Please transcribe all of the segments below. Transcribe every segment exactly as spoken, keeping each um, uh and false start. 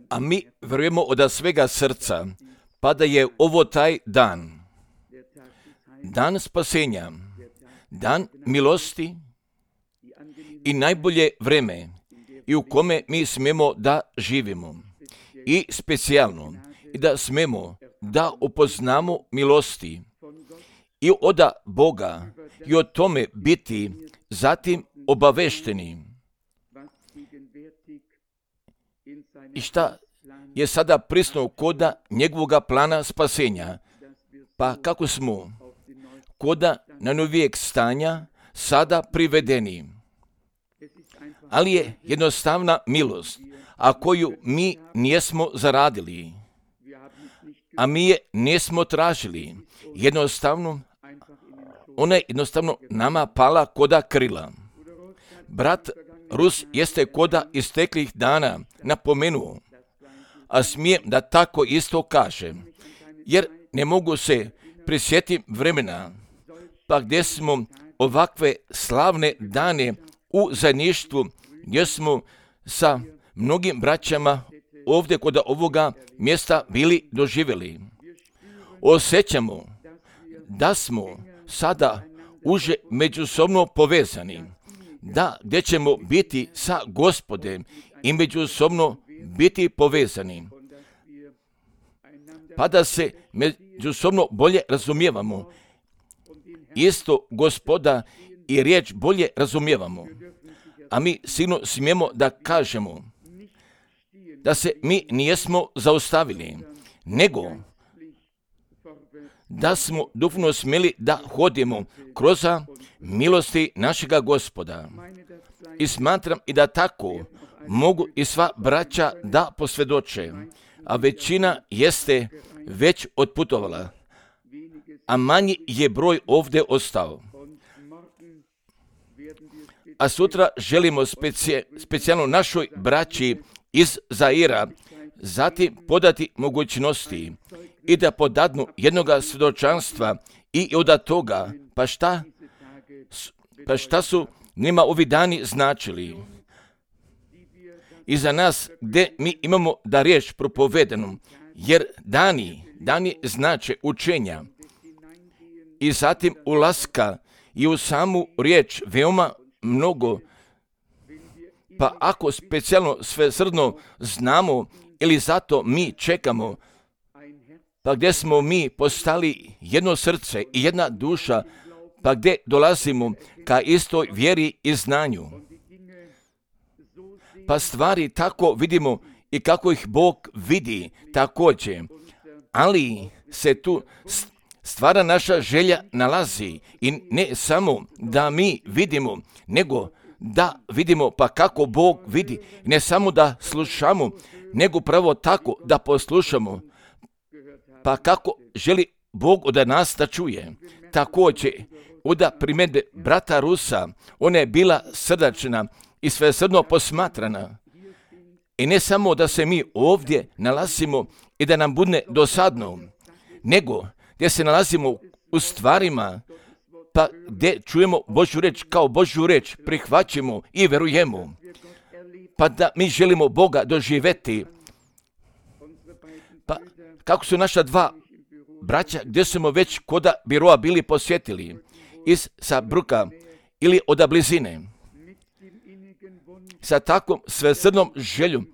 A mi vjerujemo od svega srca, pa da je ovo taj dan, dan spasenja, dan milosti i najbolje vreme i u kome mi smemo da živimo. I specijalno, i da smemo da upoznamo milosti i od Boga i o tome biti zatim obavešteni. I šta je sada prisutno koda njegovoga plana spasenja? Pa kako smo koda na novijeg stanja sada privedeni. Ali je jednostavna milost, a koju mi nijesmo zaradili, a mi je nismo tražili. Jednostavno, ona je jednostavno nama pala koda krila. Brat Rus jeste koda isteklih dana napomenuo, a smijem da tako isto kažem, jer ne mogu se prisjetiti vremena, pa gdje smo ovakve slavne dane u zajedništvu, gdje smo sa mnogim braćama ovdje kod ovoga mjesta bili doživjeli. Osjećamo da smo sada uže međusobno povezani, da gdje ćemo biti sa Gospodem i međusobno biti povezani, pa da se međusobno bolje razumijevamo. Isto Gospoda i riječ bolje razumijevamo. A mi sigurno smijemo da kažemo da se mi nijesmo zaustavili, nego da smo duhovno smjeli da hodimo kroz milosti našega Gospoda. I smatram i da tako mogu i sva braća da posvjedoče, a većina jeste već otputovala, a manji je broj ovdje ostao. A sutra želimo speci, specijalno našoj braći iz Zaira zatim podati mogućnosti i da podadnu jednoga svjedočanstva i od toga, pa šta, pa šta su njima ovi dani značili. I za nas gdje mi imamo da riječ propovedenu, jer dani, dani znače učenja i zatim ulaska i u samu riječ veoma mnogo. Pa ako specijalno svesrdno znamo ili zato mi čekamo, pa gdje smo mi postali jedno srce i jedna duša, pa gdje dolazimo ka istoj vjeri i znanju. Pa stvari tako vidimo i kako ih Bog vidi također, ali se tu stvara naša želja nalazi i ne samo da mi vidimo, nego da vidimo pa kako Bog vidi, ne samo da slušamo, nego pravo tako da poslušamo, pa kako želi Bog od nas da čuje. Također, od primjedbe brata Rusa, ona je bila srdačna i svesrdno posmatrana. I ne samo da se mi ovdje nalazimo i da nam bude dosadno, nego gdje se nalazimo u stvarima, pa gdje čujemo Božju reč kao Božju reč, prihvaćamo i verujemo, pa da mi želimo Boga doživjeti. Pa kako su naša dva braća, gdje smo već koda biroa bili posjetili, iz Sabruka ili od blizine, sa takvom svesrdnom željom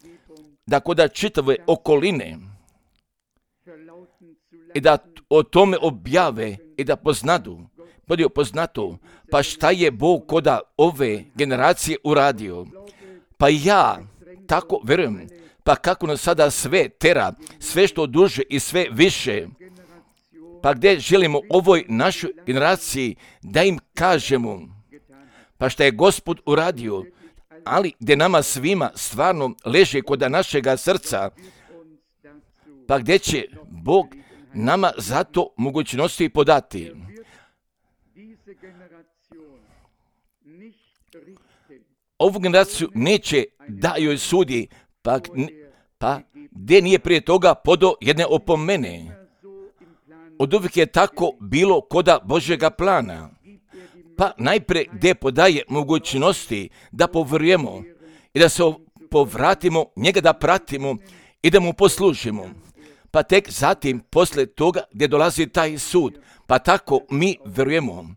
da koda čitave okoline i da o tome objave i da poznadu, bude poznato, pa šta je Bog koda ove generacije uradio. Pa ja tako verujem, pa kako nas sada sve tera, sve što duže i sve više, pa gdje želimo ovoj našoj generaciji da im kažemo, pa šta je Gospod uradio, ali gdje nama svima stvarno leže kod našega srca, pa gdje će Bog nama zato mogućnosti podati. Ovu generaciju neće da joj sudi, pa, pa gdje nije prije toga podo jedne opomene. Od uvijek je tako bilo koda Božjega plana. Pa najprije gdje podaje mogućnosti da povjerujemo i da se povratimo, njega da pratimo i da mu poslužimo. Pa tek zatim, posle toga, gdje dolazi taj sud, pa tako mi vjerujemo,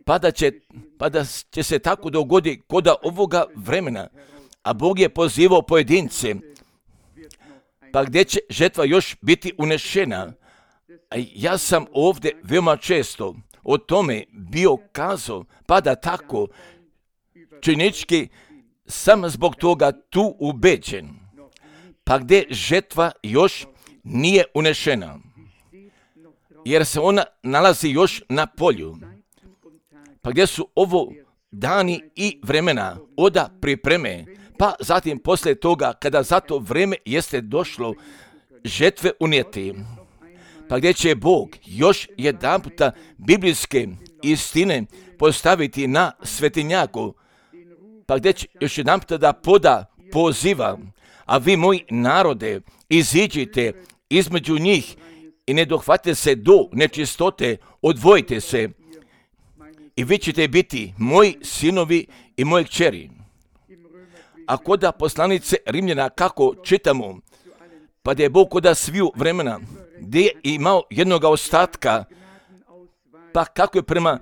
pa da će, pa da će se tako dogoditi kod ovoga vremena, a Bog je pozivao pojedince, pa gdje će žetva još biti unešena. A ja sam ovdje veoma često o tome bio kazao, pa da tako činički sam zbog toga tu ubeđen, pa gdje žetva još nije unešena, jer se ona nalazi još na polju, pa gdje su ovo dani i vremena oda pripreme, pa zatim poslije toga kada za to vreme jeste došlo žetve unijeti, pa gdje će Bog još jedan puta biblijske istine postaviti na svetinjaku, pa gdje će još jedan puta da poda poziva, a vi moji narode iziđite između njih i ne dohvatite se do nečistote, odvojite se i vi ćete biti moji sinovi i moje kćeri. A koda poslanice Rimljana kako čitamo, pa da je Bog koda sviju vremena, gdje je imao jednoga ostatka, pa kako je prema,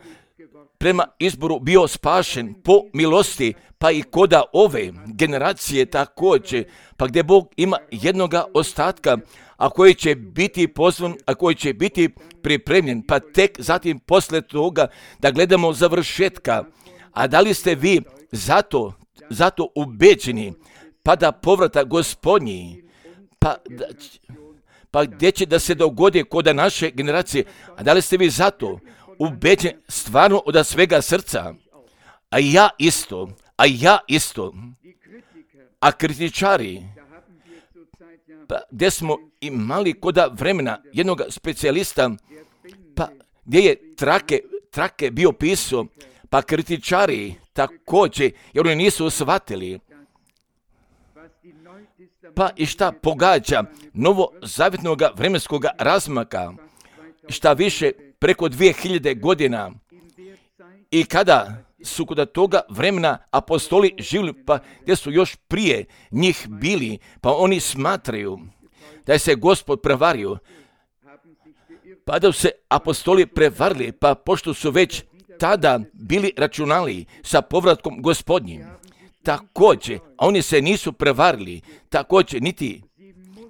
prema izboru bio spašen po milosti, pa i koda ove generacije također, pa gdje Bog ima jednoga ostatka, a koji će biti pozvan, a koji će biti pripremljen, pa tek zatim posle toga da gledamo završetka. A da li ste vi zato, zato ubeđeni, pa da povrata Gospodnji, pa, da, pa gdje će da se dogodi kod naše generacije, a da li ste vi zato ubeđeni stvarno od svega srca? A ja isto, a ja isto, a kritičari, pa gdje smo imali koda vremena jednog specijalista, pa gdje je trake, trake bio pisao, pa kritičari također, jer oni nisu shvatili. Pa i šta pogađa novozavjetnog vremenskog razmaka, šta više preko dvije hiljade godina, i kada su kod toga vremena apostoli živjeli, pa gdje su još prije njih bili, pa oni smatraju da je se Gospod prevario, pa da su se apostoli prevarili, pa pošto su već tada bili računali sa povratkom Gospodnjim, također, a oni se nisu prevarili, također niti,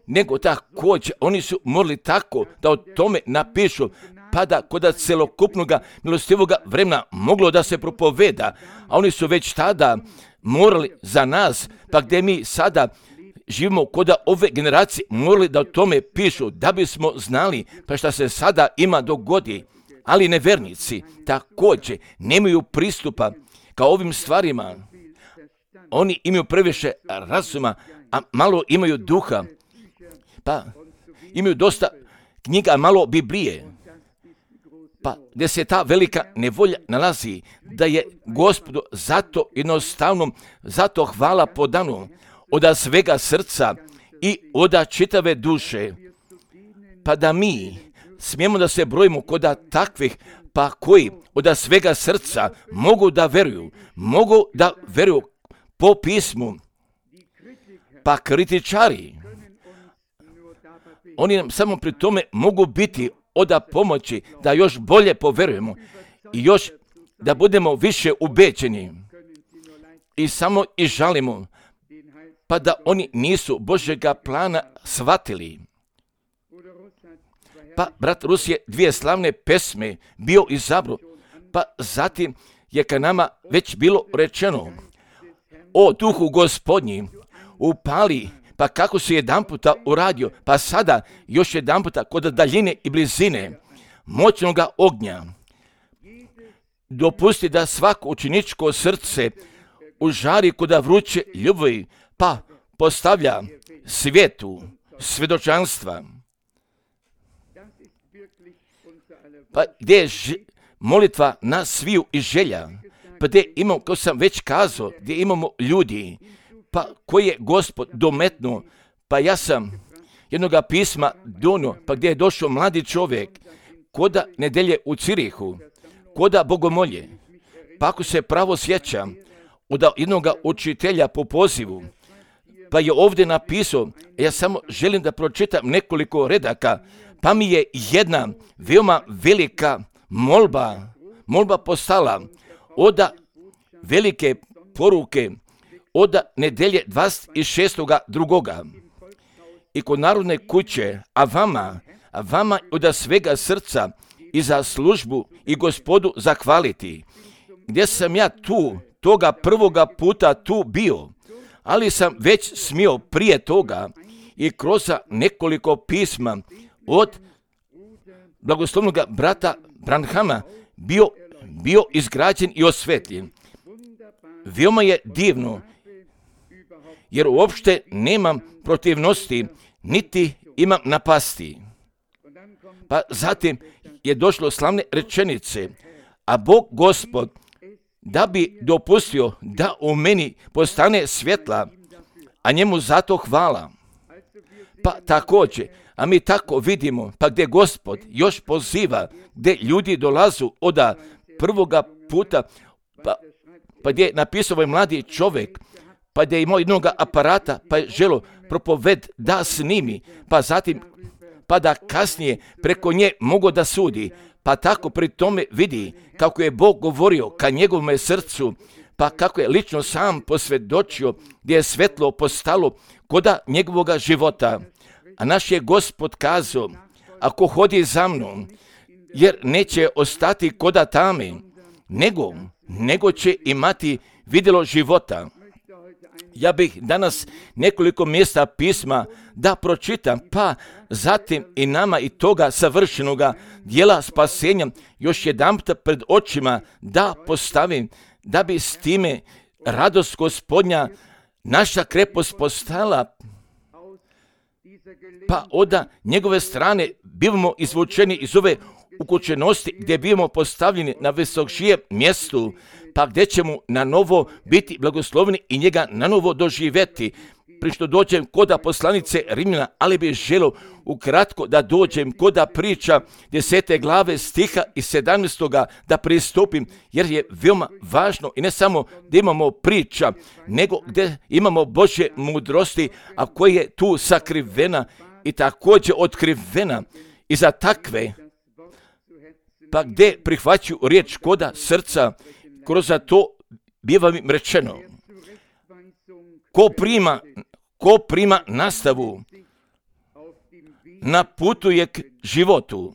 nego također, oni su morali tako da o tome napišu, pa da kod celokupnog milostivog vremena moglo da se propoveda, a oni su već tada morali za nas, pa gdje mi sada živimo kod ove generacije, morali da o tome pišu, da bismo znali pa šta se sada ima dogodi. Ali nevernici također nemaju pristupa ka ovim stvarima. Oni imaju previše razuma, a malo imaju duha, pa imaju dosta knjiga, malo Biblije. Pa gdje se ta velika nevolja nalazi, da je Gospodu zato jednostavno, zato hvala podanu od svega srca i od čitave duše, pa da mi smijemo da se brojimo kod takvih, pa koji od svega srca mogu da veruju, mogu da veruju po pismu, pa kritičari, oni nam samo pri tome mogu biti od pomoći da još bolje poverujemo i još da budemo više ubeđeni i samo i žalimo, pa da oni nisu Božjega plana shvatili. Pa brat Rus je dvije slavne pesme bio izabro, pa zatim je ka nama već bilo rečeno: o duhu Gospodnji, upali, pa kako si jedan puta uradio, pa sada još jedan puta kod daljine i blizine moćnog ognja. Dopusti da svako učeničko srce užari kod vruće ljubavi, pa postavlja svijetu svjedočanstva. Pa gdje je ž- molitva na sviju i želja, pa gdje imamo, kao sam već kazao, gdje imamo ljudi, pa koji je Gospod dometnuo, pa ja sam jednoga pisma donio, pa gdje je došao mladi čovjek, koda nedelje u Cirihu, koda bogomolje, pa ako se pravo sjećam, od jednoga učitelja po pozivu, Pa je ovdje napisao, ja samo želim da pročitam nekoliko redaka, pa mi je jedna veoma velika molba, molba postala od velike poruke od nedelje dvadeset šestog drugoga i kod Narodne kuće, a vama, a vama od svega srca i za službu i Gospodu zahvaliti, gdje sam ja tu, toga prvoga puta tu bio, ali sam već smio prije toga i kroz nekoliko pisma od blagoslovnog brata Branhama bio, bio izgrađen i osvetljen. Veoma je divno, jer uopšte nemam protivnosti, niti imam napasti. Pa zatim je došlo slavne rečenice, a Bog Gospod, da bi dopustio da u meni postane svjetla, a njemu zato hvala. Pa također, a mi tako vidimo, pa gdje Gospod još poziva, gdje ljudi dolazu od prvoga puta, pa, pa gdje je napisao ovaj mladi čovjek, pa gdje je imao jednog aparata, pa je želo propoved da snimi, pa zatim, pa da kasnije preko nje mogu da sudi, pa tako pri tome vidi kako je Bog govorio ka njegovom srcu, pa kako je lično sam posvjedočio gdje je svetlo postalo koda njegovog života. A naš je Gospod kazao, ako hodi za mnom, jer neće ostati koda tame, nego, nego će imati vidjelo života. Ja bih danas nekoliko mjesta pisma da pročitam, pa zatim i nama i toga savršenoga dijela spasenja još jedanput pred očima da postavim, da bi s time radost Gospodnja, naša krepost postala, pa od njegove strane bivamo izvučeni iz ove ukućenosti gdje bivamo postavljeni na visokšijem mjestu, pa gdje ćemo na novo biti blagosloveni i njega na novo doživjeti. Pri što dođem koda poslanice Rimljana, ali bih želio ukratko da dođem koda priča desete glave stiha i sedamnaestoga da pristupim, jer je veoma važno i ne samo da imamo priča, nego gdje imamo Božje mudrosti, a koja je tu sakrivena i također otkrivena i za takve, pa gdje prihvaćaju riječ koda srca, kroz to biva mi rečeno, ko prima, ko prima nastavu, na putu je k životu,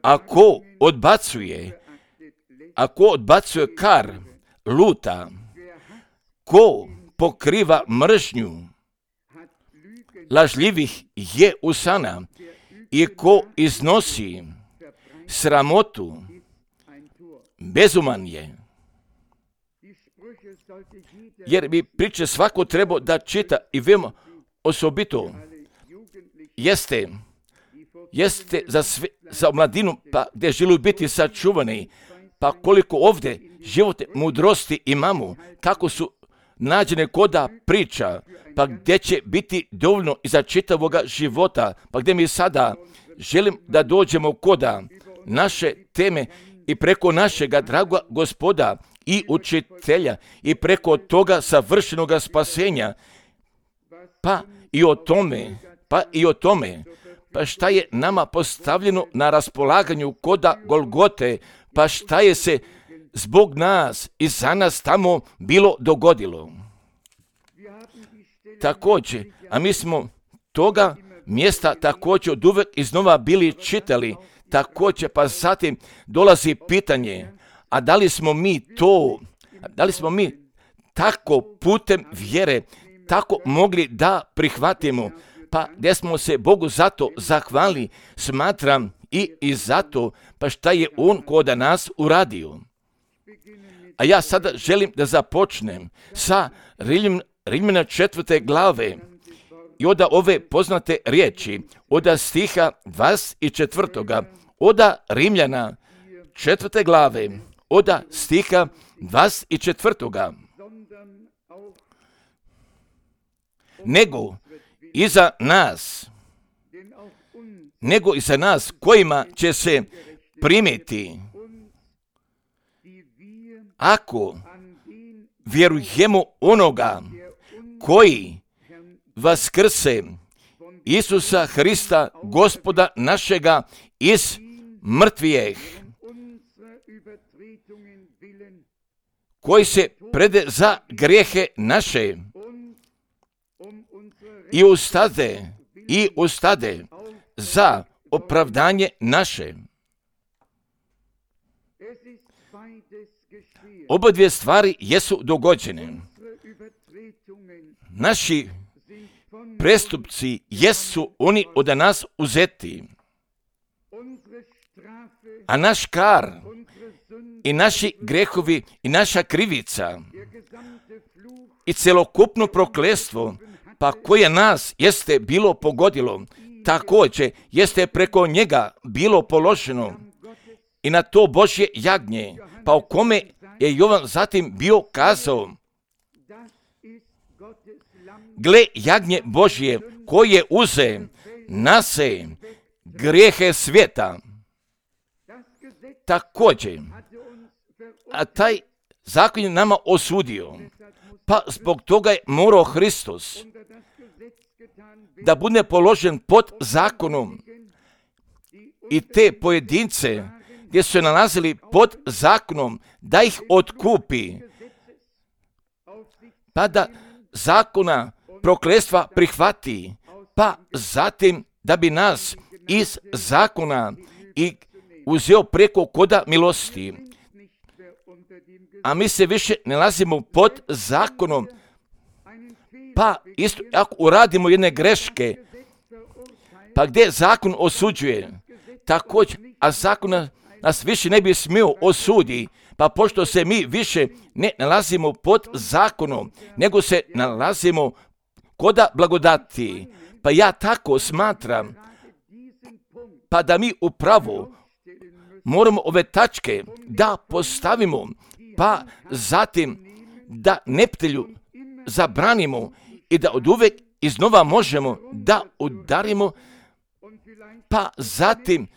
a ko odbacuje, a ko odbacuje kar, luta, ko pokriva mržnju, lažljivih je usana i ko iznosi sramotu, bezuman je. Jer bi priče svako trebao da čita i veoma osobito jeste, jeste za, sve, za mladinu, pa gdje žele biti sačuvani, pa koliko ovdje životne mudrosti imamo, kako su nađene koda priča, pa gdje će biti dovoljno i za čitavoga života, pa gdje mi sada želim da dođemo koda naše teme i preko našega dragoga Gospoda i učitelja i preko toga savršenog spasenja, pa i o tome, pa i o tome, pa šta je nama postavljeno na raspolaganju koda Golgote, pa šta je se zbog nas i za nas tamo bilo dogodilo. Također, a mi smo toga mjesta također od uvek iznova bili čitali, također pa zatim dolazi pitanje, a da li smo mi to, da li smo mi tako putem vjere, tako mogli da prihvatimo, pa gdje smo se Bogu zato zahvali, smatram i, i zato, pa šta je On koda nas uradio. A ja sada želim da započnem sa Rimljana četvrte glave i od ove poznate riječi, od stiha dvadeset četvrtoga, od Rimljana četvrte glave, od stiha dvadeset četvrtoga. Nego i za nas, nego i za nas kojima će se primiti, ako vjerujemo onoga koji vaskrse Isusa Hrista, Gospoda našega, iz mrtvijeh, koji se prede za grijehe naše i ustade, i ustade za opravdanje naše. Oba dvije stvari jesu dogođene. Naši prestupci jesu oni od nas uzeti, a naš kar i naši grehovi i naša krivica i celokupno prokletstvo, pa koje nas jeste bilo pogodilo, također jeste preko njega bilo položeno i na to Božje jagnje, pa o kome je Jovan zatim bio kazao: gle jagnje Božje koje uze na se grijehe svijeta. Također, a taj zakon je nama osudio, pa zbog toga je morao Hristos da bude položen pod zakonom i te pojedince gdje su se nalazili pod zakonom da ih otkupi, pa da zakona prokletstva prihvati, pa zatim da bi nas iz zakona i uzeo preko koda milosti. A mi se više ne nalazimo pod zakonom, pa isto ako uradimo jedne greške, pa gdje zakon osuđuje, također, a zakon nas više ne bi smio osudi, pa pošto se mi više ne nalazimo pod zakonom, nego se nalazimo koda blagodati, pa ja tako smatram, pa da mi upravo moramo ove tačke da postavimo, pa zatim da neptelju zabranimo i da od uvek iznova možemo da udarimo, pa zatim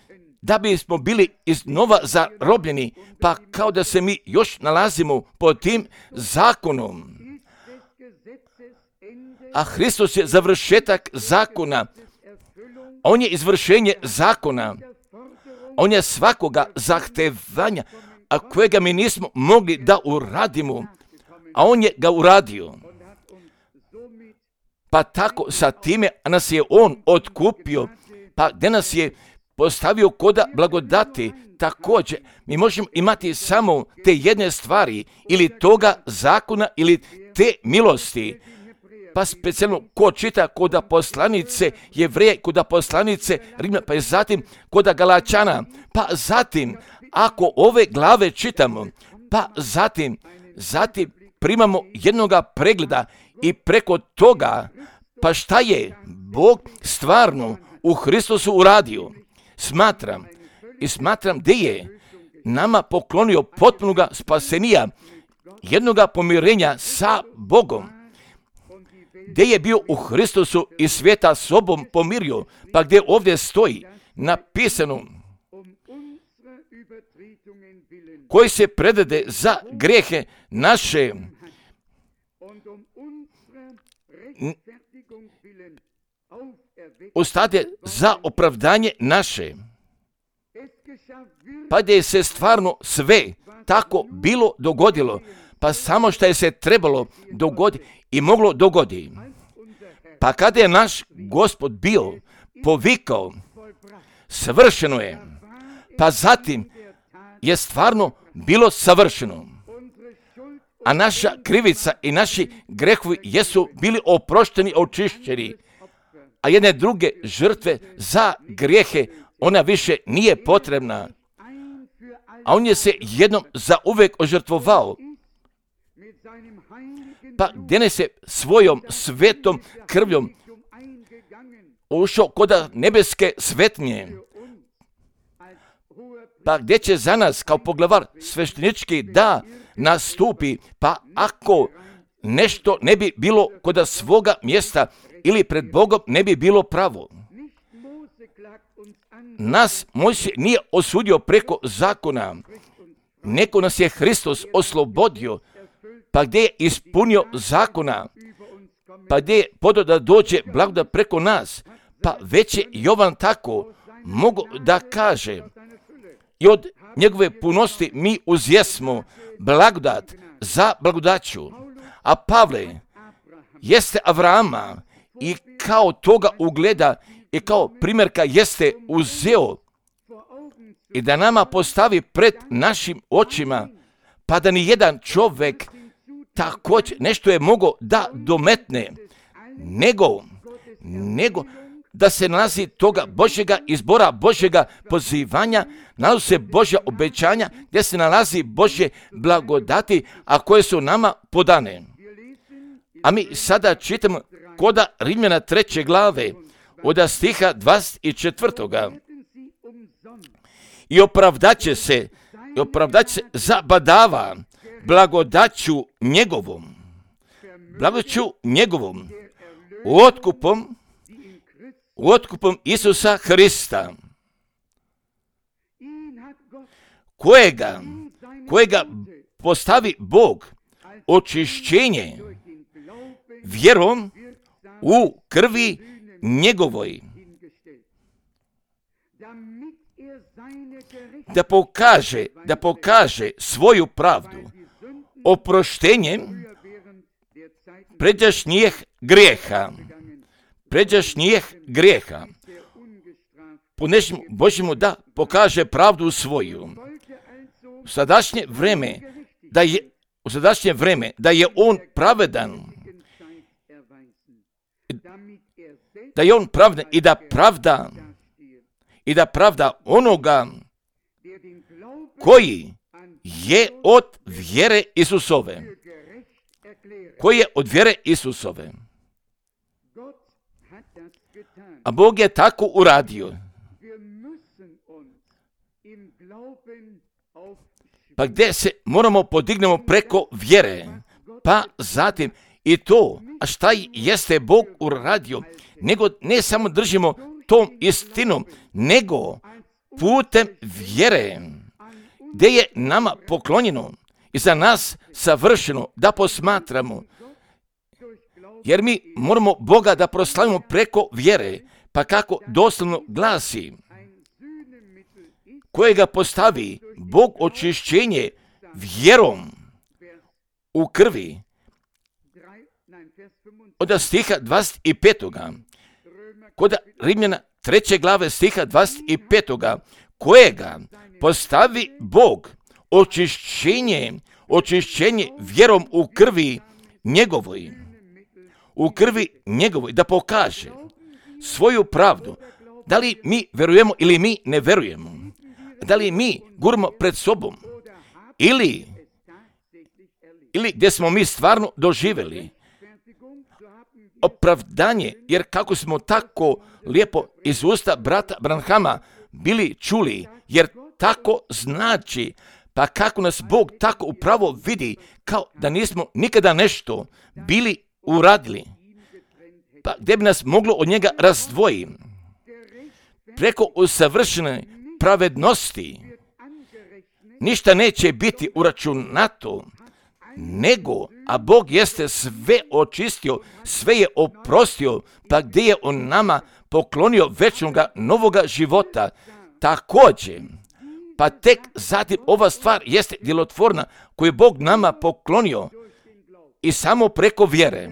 da bismo bili iznova zarobljeni, pa kao da se mi još nalazimo pod tim zakonom. A Hristos je završetak zakona, on je izvršenje zakona, on je svakoga zahtevanja, a kojega mi nismo mogli da uradimo, a on je ga uradio. Pa tako sa time nas je on otkupio, pa gdje nas je postavio koda blagodati, također mi možemo imati samo te jedne stvari, ili toga zakona, ili te milosti. Pa specijalno ko čita koda poslanice Jevreja, koda poslanice Rimljana, pa i zatim koda Galačana, pa zatim ako ove glave čitamo, pa zatim, zatim primamo jednoga pregleda i preko toga, pa šta je Bog stvarno u Hristosu uradio. Smatram i smatram gdje je nama poklonio potpunoga spasenija, jednoga pomirenja sa Bogom, gdje je bio u Hristosu i svijeta sobom pomirio, pa gdje ovdje stoji napisano koji se predade za grijehe naše, ustade za opravdanje naše. Pa gdje se stvarno sve tako bilo dogodilo, pa samo što je se trebalo dogoditi i moglo dogoditi. Pa kada je naš Gospod bio povikao, savršeno je, pa zatim je stvarno bilo savršeno. A naša krivica i naši grehovi jesu bili oprošteni, očišćeni, a jedne druge žrtve za grijehe, ona više nije potrebna. A on je se jednom za uvek ožrtvovao, pa gdje ne se svojom svetom krvljom ušao koda nebeske svetnje, pa gdje će za nas kao poglavar sveštenički da nastupi, pa ako nešto ne bi bilo koda svoga mjesta ili pred Bogom ne bi bilo pravo. Nas Mojsije nije osudio preko zakona, neko nas je Hristos oslobodio pa gdje je podao da dođe blagodat preko nas, pa već je Jovan tako mogu da kaže, i od njegove punosti mi uzjesmo blagodat za blagodaću. A Pavle jeste Avrama i kao toga ugleda i kao primjerka jeste uzeo i da nama postavi pred našim očima, pa da ni jedan čovjek također nešto je mogao da dometne, nego, nego da se nalazi toga Božjega izbora, Božjega pozivanja, nalazi se Božja obećanja, gdje se nalazi Božje blagodati, a koje su nama podane. A mi sada čitamo koda Rimljana treće glave, od stiha dvadeset četvrtoga. I opravdaće se, i opravdaće se zabadava blagodaću njegovom, blagodaću njegovom, otkupom, otkupom Isusa Hrista, kojega, kojega postavi Bog očišćenje vjerom u krvi njegovoj, da pokaže, da pokaže svoju pravdu oproštenjem pređašnjih grijeha, pređašnjih grijeha, ponešimo Božjemu da pokaže pravdu svoju. U sadašnje vreme da je, u sadašnje vreme da je on pravedan, da je on pravedan i da pravda i da pravda onoga koji je od vjere Isusove, koji je od vjere Isusove. A Bog je tako uradio. Pa gdje se moramo podignemo preko vjere, pa zatim i to, a šta jeste Bog uradio, nego ne samo držimo tom istinom, nego putem vjere, gdje je nama poklonjeno i za nas savršeno da posmatramo, jer mi moramo Boga da proslavimo preko vjere, pa kako doslovno glasi, kojega postavi Bog očišćenje vjerom u krvi, od stiha dvadeset petoga. Kod Rimljana treće glave stiha dvadeset petoga. Kojega postavi Bog očišćenje, očišćenje vjerom u krvi njegovoj, u krvi njegovoj, da pokaže svoju pravdu. Da li mi verujemo ili mi ne verujemo? Da li mi guramo pred sobom? Ili, ili gdje smo mi stvarno doživjeli opravdanje, jer kako smo tako lijepo iz usta brata Branhama bili čuli, jer tako znači, pa kako nas Bog tako upravo vidi, kao da nismo nikada nešto bili uradili, pa gdje bi nas moglo od njega razdvojiti. Preko usavršene pravednosti ništa neće biti uračunato, nego, a Bog jeste sve očistio, sve je oprostio, pa gdje je on nama poklonio večnoga novoga života, također, pa tek zatim ova stvar jeste djelotvorna koju je Bog nama poklonio i samo preko vjere.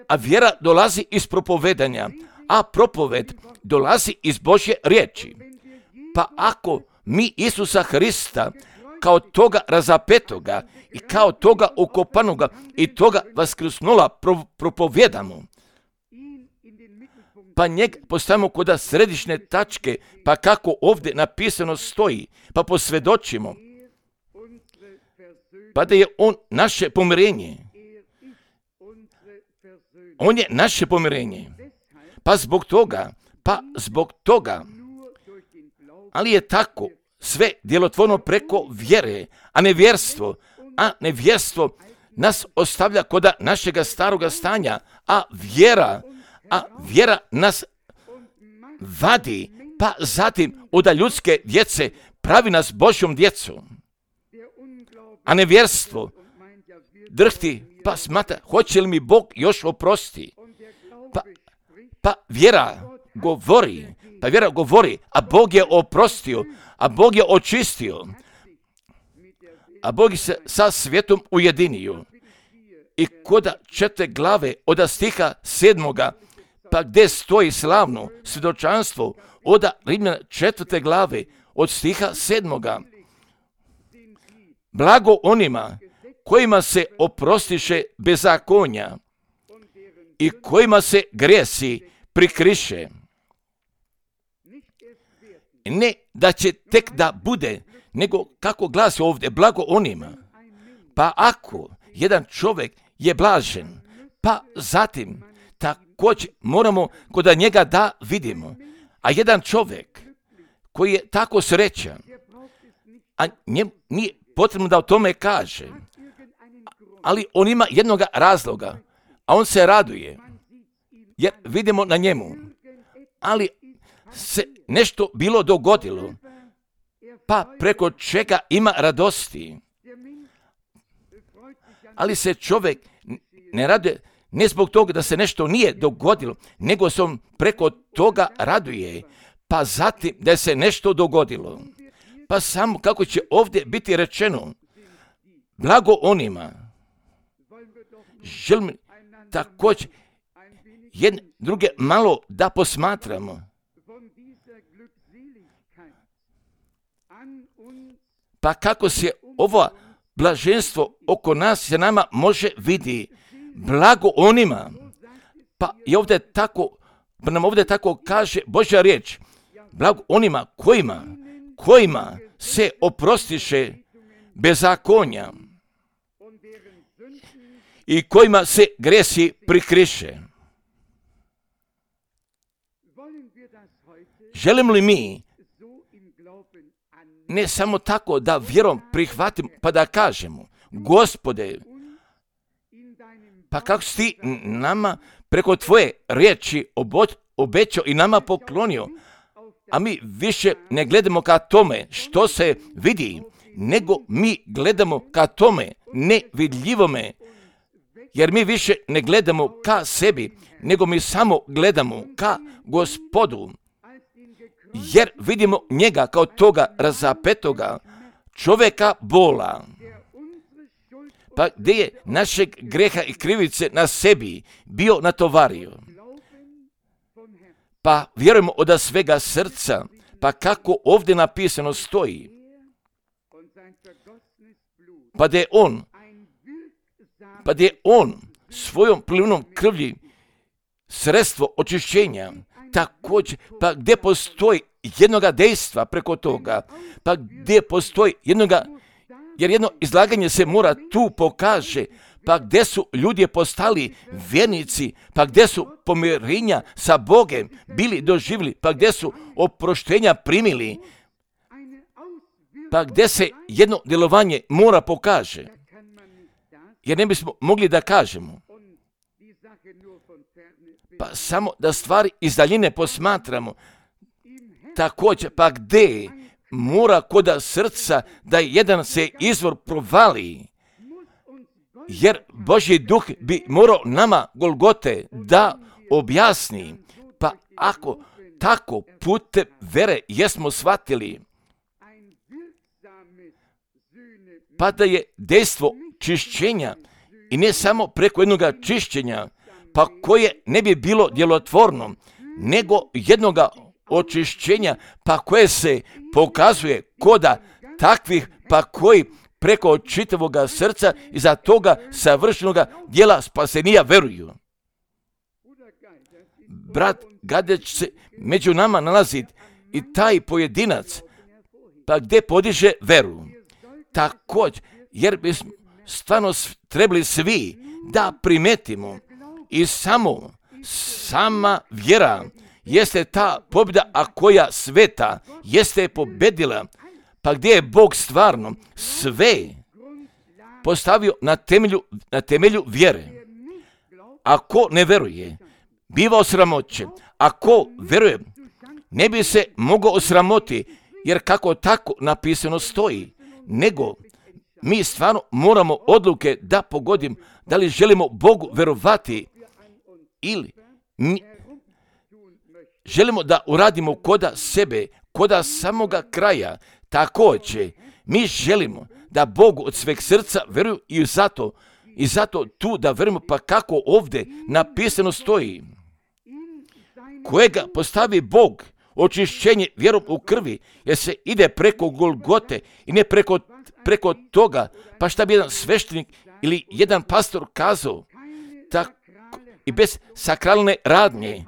A vjera dolazi iz propovedanja, a propoved dolazi iz Božje riječi. Pa ako mi Isusa Hrista kao toga razapetoga i kao toga ukopanoga i toga vaskrsnula pro, propovjedamo, pa njeg postavimo kod središnje tačke, pa kako ovdje napisano stoji, pa posvjedočimo, pa da je on naše pomirenje. On je naše pomirenje. Pa zbog toga, pa zbog toga, ali je tako sve djelotvorno preko vjere, a nevjerstvo, a nevjerstvo nas ostavlja kod našega staroga stanja, a vjera, a vjera nas vadi, pa zatim od ljudske djece pravi nas Božjom djecom. A nevjerstvo drhti Pa smatra, hoće li mi Bog još oprosti? Pa, pa vjera govori, pa vjera govori, a Bog je oprostio, a Bog je očistio, a Bog se sa svijetom ujedinio. I koda četiri glave od stiha sedmoga, pa gdje stoji slavno svjedočanstvo od Rimljana četvrte glave od stiha sedmoga. Blago onima kojima se oprostiše bezakonja i kojima se grijesi prikriše. Ne da će tek da bude, nego kako glasi ovdje, blago onima. Pa ako jedan čovjek je blažen, pa zatim također moramo kod njega da vidimo. A jedan čovjek koji je tako srećan, a njemu nije potrebno da o tome kaže, ali on ima jednoga razloga, a on se raduje, jer vidimo na njemu, ali se nešto bilo dogodilo, pa preko čega ima radosti. Ali se čovjek ne raduje ne zbog toga da se nešto nije dogodilo, nego se on preko toga raduje, pa zatim da se nešto dogodilo. Pa samo kako će ovdje biti rečeno, blago onima. Želim također jedne druge malo da posmatramo. Pa kako se ovo blaženstvo oko nas se nama može vidi, blago onima. Pa i ovdje tako, pa nam ovdje tako kaže Božja riječ, blago onima kojima, kojima se oprostiše bezakonja i kojima se grijesi prikriše. Želimo li mi ne samo tako da vjerom prihvatimo pa da kažemo, Gospode, pa kako si ti nama preko tvoje riječi obećao i nama poklonio, a mi više ne gledamo ka tome što se vidi, nego mi gledamo ka tome nevidljivome, jer mi više ne gledamo ka sebi, nego mi samo gledamo ka Gospodu, jer vidimo njega kao toga razapetoga čovjeka bola, pa gdje je našeg greha i krivice na sebi bio natovario. Pa vjerujemo od svega srca, pa kako ovdje napisano stoji, pa da je on, pa da je on svojom plinom krvlji sredstvo očišćenja, također, pa gdje postoji jednoga dejstva preko toga, pa gdje postoji jednoga, jer jedno izlaganje se mora tu pokaže, pa gdje su ljudi postali vjernici, pa gdje su pomirenja sa Bogem bili doživjeli, pa gdje su oproštenja primili, pa gdje se jedno djelovanje mora pokaže, jer ne bismo mogli da kažemo, pa samo da stvari iz daljine posmatramo, također, pa gdje mora koda srca da jedan se izvor provali, jer Božji duh bi morao nama Golgote da objasni, pa ako tako putem vere jesmo shvatili, pa da je dejstvo čišćenja i ne samo preko jednoga čišćenja, pa koje ne bi bilo djelotvorno, nego jednoga očišćenja, pa koje se pokazuje koda takvih, pa koji preko čitavoga srca i za toga savršenoga djela spasenija veruju. Brat Gadeć se među nama nalazi i taj pojedinac, pa gdje podiže veru. Također, jer bismo stvarno trebali svi da primetimo i samo sama vjera jeste ta pobjeda, a koja sveta jeste pobedila, pa gdje je Bog stvarno sve postavio na temelju, na temelju vjere. Ako ne veruje, biva osramoćen. Ako veruje, ne bi se mogao osramoti, jer kako tako napisano stoji, nego mi stvarno moramo odluke da pogodim da li želimo Bogu verovati ili mi želimo da uradimo koda sebe, koda samoga kraja. Također, mi želimo da Bogu od sveg srca veruju i zato, i zato tu da verujemo, pa kako ovdje napisano stoji. Kojega postavi Bog, očišćenje vjerom u krvi, jer se ide preko Golgote i ne preko, preko toga, pa šta bi jedan sveštenik ili jedan pastor kazao, tako, i bez sakralne radnje,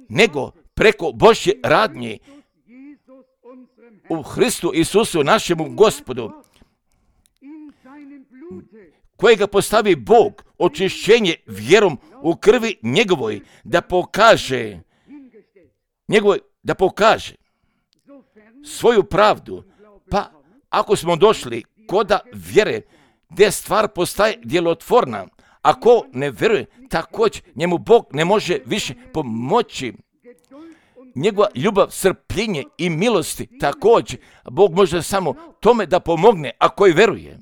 nego preko Božje radnje u Hristu Isusu, našemu Gospodu, kojega postavi Bog, očišćenje vjerom u krvi njegovoj, da pokaže njegovoj, da pokaže svoju pravdu. Pa ako smo došli koda vjere, gdje stvar postaje djelotvorna, ako ne vjeruje, također njemu Bog ne može više pomoći. Njegova ljubav, strpljenje i milosti, također Bog može samo tome da pomogne ako i veruje.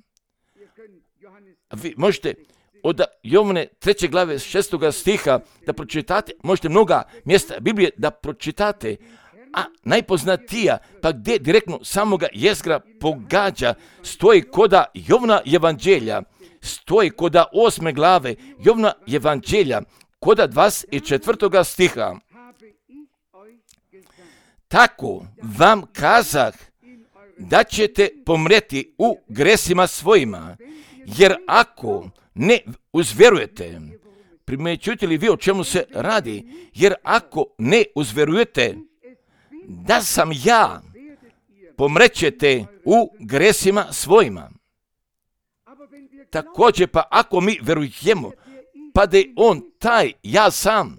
Vi možete od Jovane treće glave šestoga stiha da pročitate, možete mnoga mjesta Biblije da pročitate, a najpoznatija, pa gdje direktno samoga jezgra pogađa, stoji koda Jovana evanđelja, stoji koda osme glave Jovana evanđelja, koda dvadeset četvrtoga stiha. Tako vam kazah da ćete pomreti u gresima svojima, jer ako ne uzverujete, primjećujete li vi o čemu se radi, jer ako ne uzverujete da sam ja, pomrećete u gresima svojima. Također pa ako mi verujemo, pa da je on taj, ja sam,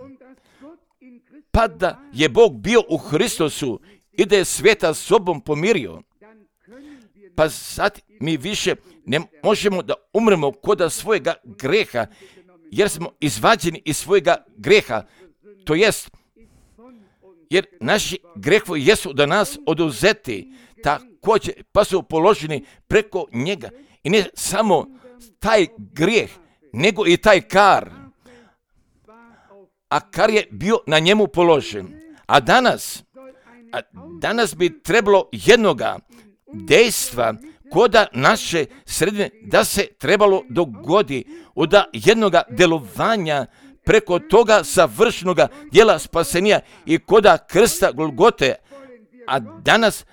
pa da je Bog bio u Hristosu i da je svijeta sobom pomirio, pa sad mi više ne možemo da umremo koda svojega greha, jer smo izvađeni iz svojega greha, to jest, jer naši grehovi jesu da nas oduzeti, također pa su položeni preko njega. I ne samo taj grijeh, nego i taj kar. A kar je bio na njemu položen. A danas, a danas bi trebalo jednoga dejstva koda naše sredine da se trebalo dogodi od jednoga delovanja preko toga savršenoga djela spasenja i koda krsta Golgote. A danas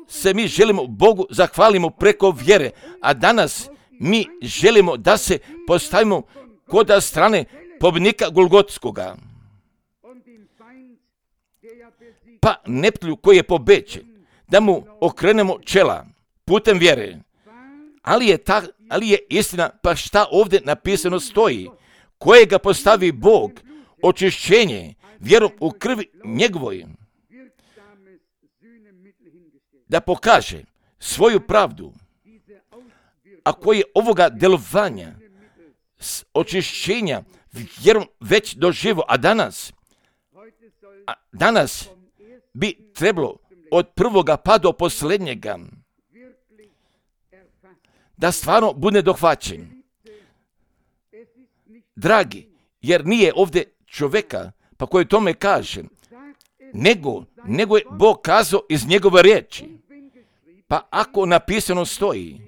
se mi želimo Bogu zahvalimo preko vjere, a danas mi želimo da se postavimo koda strane pobjednika Golgotskoga. Pa neprijatelju koji je pobeđen, da mu okrenemo čela putem vjere. Ali je, ta, ali je istina, pa šta ovdje napisano stoji, kojega postavi Bog, očišćenje vjerom u krvi njegovoj, da pokaže svoju pravdu. Ako je ovoga delovanja, očišćenja vjerom već doživo, a danas, a danas bi trebalo od prvoga pa do posljednjega da stvarno bude dohvaćen. Dragi, jer nije ovdje čovjeka pa koji tome kaže, nego, nego je Bog kazao iz njegove riječi. Pa ako napisano stoji,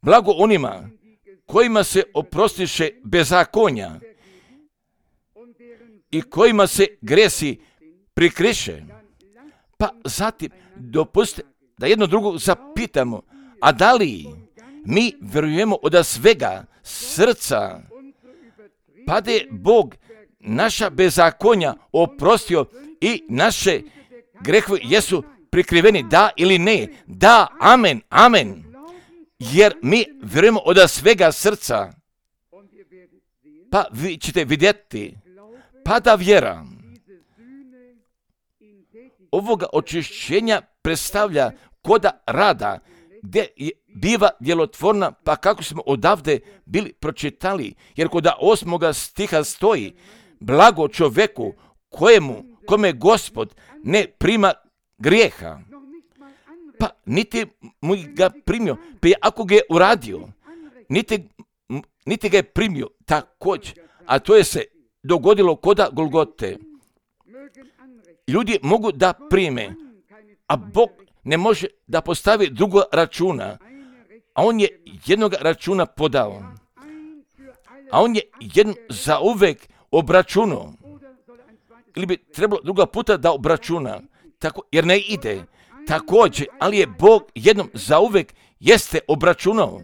blago onima kojima se oprostiše bezakonja i kojima se gresi prikriše, pa zatim dopustite da jedno drugo zapitamo, a da li mi vjerujemo od svega srca, pa da je Bog naša bezakonja oprostio i naše grehove jesu prikriveni, da ili ne? Da, amen, amen. Jer mi vjerujemo od svega srca. Pa vi ćete vidjeti, pa da vjera ovoga očišćenja predstavlja koda rada, gdje je biva djelotvorna, pa kako smo odavde bili pročitali, jer kod osmoga stiha stoji, blago čovjeku kojemu, kome Gospod ne prima grijeha. pa niti mu ga primio, pa ako ga je uradio, niti, niti ga je primio također, a to je se dogodilo koda Golgote. Ljudi mogu da prime, a Bog ne može da postavi drugog računa, a on je jednog računa podao. A on je jedno za uvek obračunao. Ili bi trebalo druga puta da obračuna, tako, jer ne ide. Također, ali je Bog jednom za uvek jeste obračunao.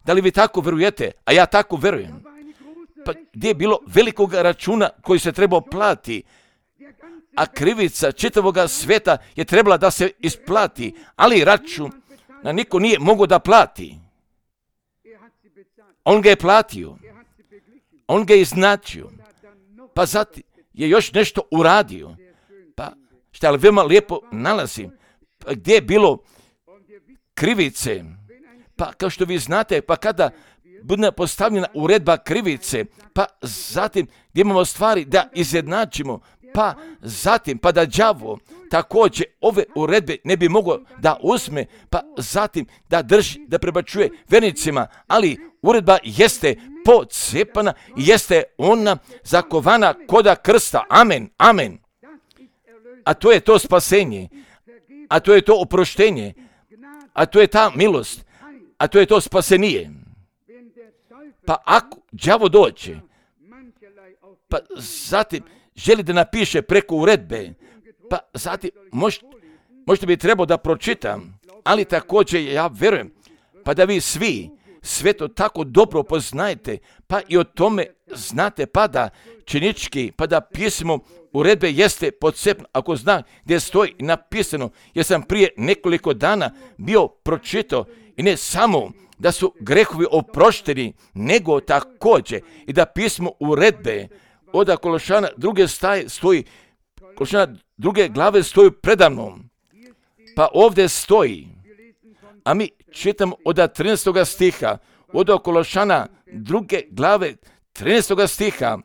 Da li vi tako verujete? A ja tako verujem. Pa gdje je bilo velikog računa koji se trebao plati, a krivica čitavoga sveta je trebala da se isplati, ali račun na niko nije mogao da plati. On ga je platio. On ga je iznačio. Pa zatim je još nešto uradio. Pa šta li veoma lijepo nalazi. Pa gdje je bilo krivice. Pa kao što vi znate, pa kada bude postavljena uredba krivice, pa zatim gdje imamo stvari da izjednačimo, pa zatim pa da đavo također ove uredbe ne bi mogao da uzme, pa zatim da drži, da prebačuje vernicima, ali uredba jeste pocepana i jeste ona zakovana koda krsta. Amen, amen. A to je to spasenje, a to je to oproštenje, a to je ta milost, a to je to spasenije. Pa ako đavo dođe, pa zatim želi da napiše preko uredbe, pa zatim možda, možda bi trebao da pročitam, ali također ja verujem, pa da vi svi sve to tako dobro poznajete, pa i o tome znate, pa da činički, pa da pismo uredbe jeste pocepno, ako zna gdje stoji napisano, jer sam prije nekoliko dana bio pročitao i ne samo da su grehovi oprošteni, nego također i da pismo uredbe od Kološana druge staje stoji, Kološana druge glave stoji predamnom. Pa ovdje stoji, a mi čitamo od trinaestog stiha, od Kološana druge glave trinaestog stiha.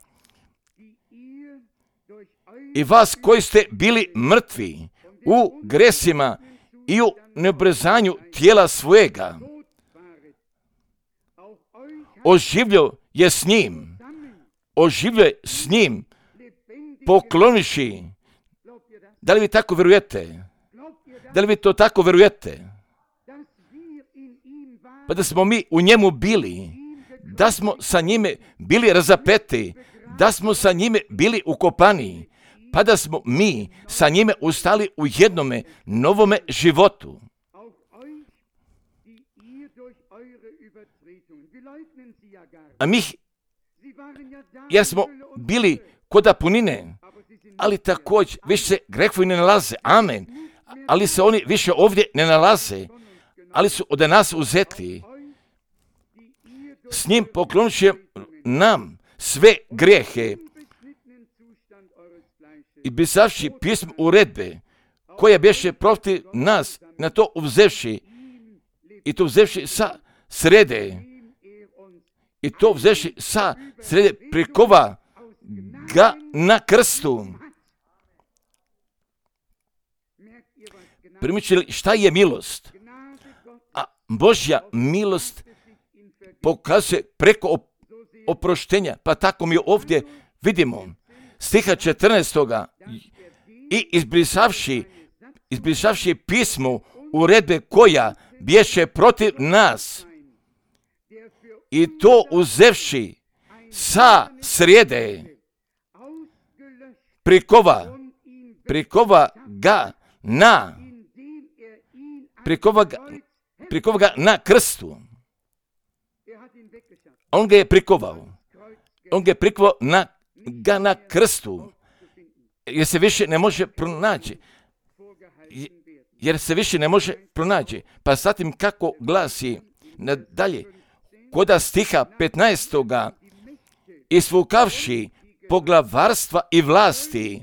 I vas koji ste bili mrtvi u gresima i u neobrezanju tijela svojega, oživljio je s njim, oživljio je s njim, pokloniši. Da li vi tako verujete? Da li vi to tako verujete? Pa da smo mi u njemu bili, da smo sa njime bili razapeti, da smo sa njime bili ukopani, pa da smo mi sa njime ustali u jednome novome životu. A mi, jer smo bili koda punine, ali također više se grehovi ne nalaze, amen, ali se oni više ovdje ne nalaze, ali su od nas uzeti. S njim poklonit nam sve grijehe i pisavši pismo uredbe, koja beše protiv nas, na to uzevši, i to uzevši sa srede, i to uzevši sa srede, prikova ga na krstu. Primičili šta je milost? A Božja milost pokazuje preko oproštenja, pa tako mi ovdje vidimo stiha četrnaestoga i izbrisavši, izbrisavši pismo uredbe koja bješe protiv nas i to uzevši sa srijede, prikova, prikova ga na, prikova ga, prikova ga na krstu. On ga je prikovao. On ga je prikovao na, ga na krstu. Jer se više ne može pronaći. Jer se više ne može pronaći. Pa zatim kako glasi nadalje, koda stiha petnaestoga isvukavši poglavarstva i vlasti,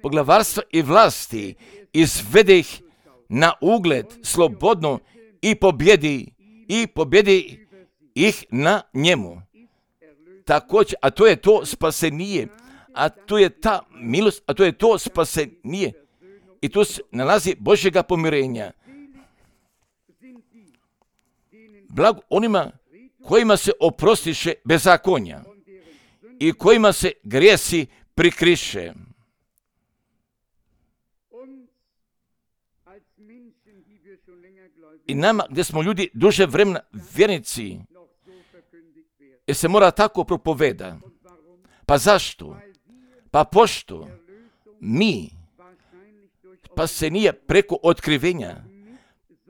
poglavarstva i vlasti, izvede ih na ugled slobodno i pobjedi, i pobjedi ih na njemu. Također, a to je to spasenije, a to je ta milost, a to je to spasenije. I tu se nalazi Božjega pomirenja. blago onima kojima se oprostiše bezakonja i kojima se grijesi prikriše. I nama, gdje smo ljudi duže vremena vjernici, jer se mora tako propoveda. Pa zašto? Pa pošto mi, pa se nije preko otkrivenja,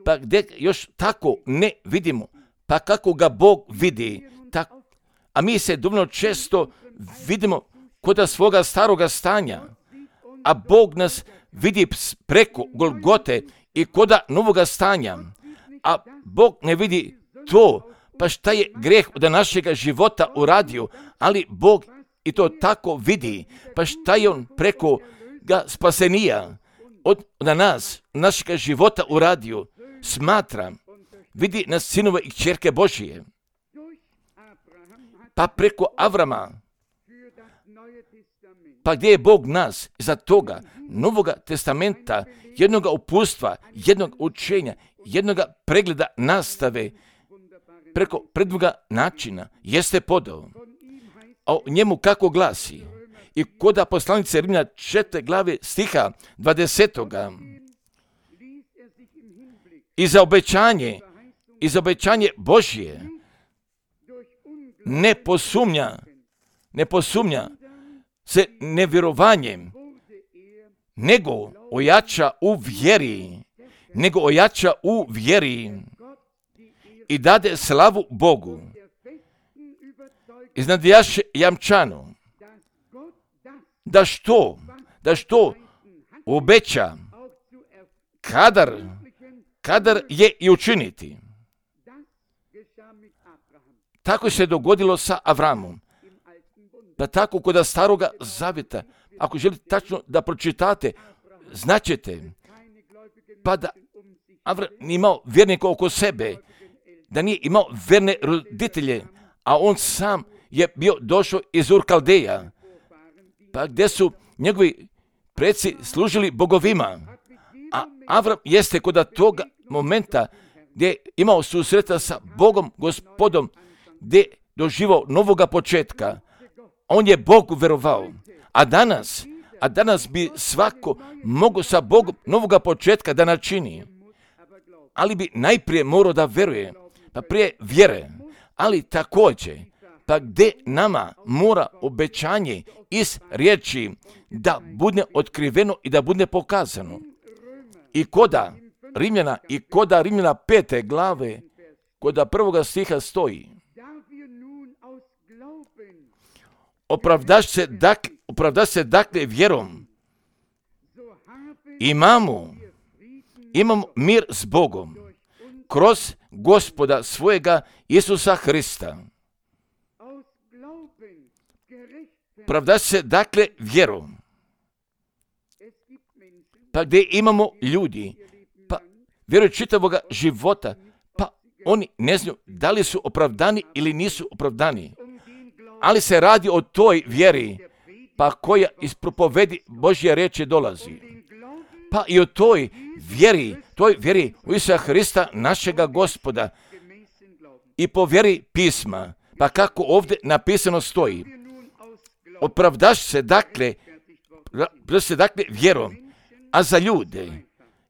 pa gdje još tako ne vidimo, pa kako ga Bog vidi, tako, a mi se dovoljno često vidimo kod svoga staroga stanja, a Bog nas vidi preko Golgote i kod novoga stanja, a Bog ne vidi to, pa šta je greh od našega života uradio, ali Bog i to tako vidi, pa šta je on preko ga spasenija od, od nas, našega života uradio, smatra, vidi nas sinove i kćerke Božije. Pa preko Avrama, pa gdje je Bog nas za toga Novoga testamenta, jednoga upustva, jednog učenja, jednoga pregleda nastave, preko predvoga načina, jeste podao. A o njemu kako glasi? I koda poslanice Rimljana četvrte glave stiha dvadesetoga. I za obećanje, i za obećanje Božje ne posumnja, ne posumnja se nevjerovanjem, nego ojača u vjeri, nego ojača u vjeri i dade slavu Bogu. Iznadjaše jamčano, da što, da što obeća, kadar, kadar je i učiniti. Tako se dogodilo sa Avramom. Da tako kod staroga zavjeta, ako želite tačno da pročitate, značete, pa da Avram nije imao vjernika oko sebe, da nije imao verne roditelje, a on sam je bio došao iz Ur Kaldeja, pa gdje su njegovi preci služili bogovima, a Avram jeste kod toga momenta gdje je imao susreta sa Bogom, Gospodom, gdje doživao novoga početka. On je Bogu verovao. A danas, a danas bi svako mogao sa Bogom novoga početka da načini. Ali bi najprije morao da veruje, pa prije vjere. Ali također, pa gdje nama mora obećanje iz riječi da bude otkriveno i da bude pokazano. I koda Rimljana, i koda Rimljana pete glave, koda prvoga stiha stoji. Opravdaš se, dak, opravdaš se dakle vjerom. Imamo, imamo mir s Bogom kroz Gospoda svojega Isusa Hrista. Opravdaš se dakle vjerom. Pa gdje imamo ljudi, pa vjeruju čitavoga života, pa oni ne znaju da li su opravdani ili nisu opravdani. Ali se radi o toj vjeri, pa koja iz propovedi Božje riječi dolazi. Pa i o toj vjeri, toj vjeri u Isusa Hrista, našega Gospoda, i po vjeri pisma, pa kako ovdje napisano stoji. Opravdaš se dakle, se dakle vjerom, a za ljude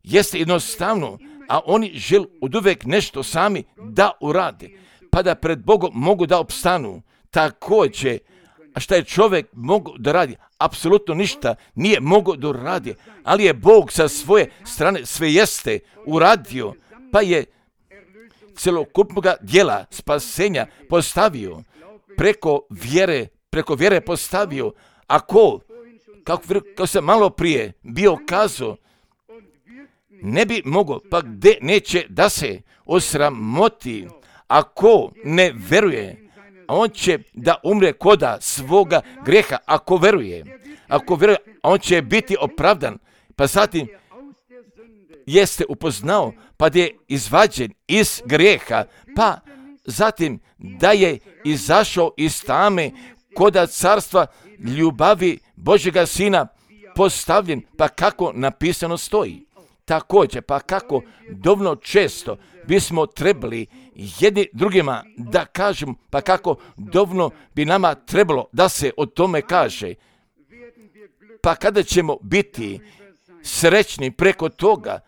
jeste jednostavno, a oni žele oduvijek nešto sami da urade, pa da pred Bogom mogu da opstanu. Također, a šta je čovjek mogao da radi? Apsolutno ništa nije mogao da radi, ali je Bog sa svoje strane sve jeste uradio, pa je celokupnog dijela spasenja postavio preko vjere, preko vjere postavio, a ko, kako, kako sam malo prije bio kazao, ne bi mogao, pa gdje neće da se osramoti, ako ne veruje, on će da umre koda svoga greha, ako veruje. Ako veruje, on će biti opravdan. Pa zatim jeste upoznao, pa da je izvađen iz greha, pa zatim da je izašao iz tame koda carstva ljubavi Božjega Sina postavljen, pa kako napisano stoji. također, pa kako dovoljno često bismo trebali jedni drugima da kažemo, pa kako dovoljno bi nama trebalo da se o tome kaže. Pa kada ćemo biti srećni preko toga,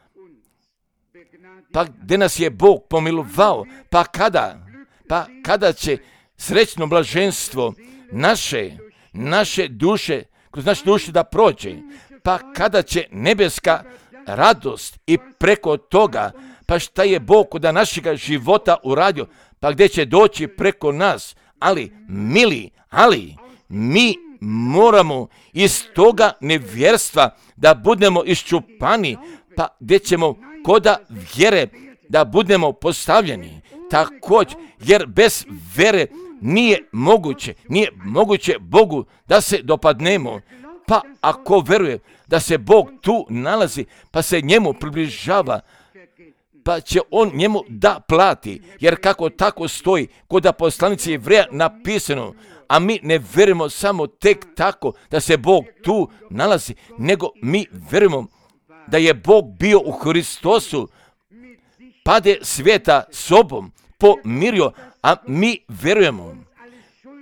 pa gdje nas je Bog pomilovao, pa kada, pa kada će srećno blaženstvo naše, naše duše, kroz naše duše da prođe, pa kada će nebeska radost i preko toga, pa šta je Bog kod našega života uradio, pa gdje će doći preko nas, ali, mili, ali, mi moramo iz toga nevjerstva da budemo iščupani, pa gdje ćemo koda vjere da budemo postavljeni. Također, jer bez vjere nije moguće, nije moguće Bogu da se dopadnemo. Pa ako veruje da se Bog tu nalazi, pa se njemu približava, pa će on njemu da plati, jer kako tako stoji kod poslanici Jevreja napisano, a mi ne verujemo samo tek tako da se Bog tu nalazi, nego mi verujemo da je Bog bio u Hristosu, pade svijeta sobom pomirio, a mi verujemo,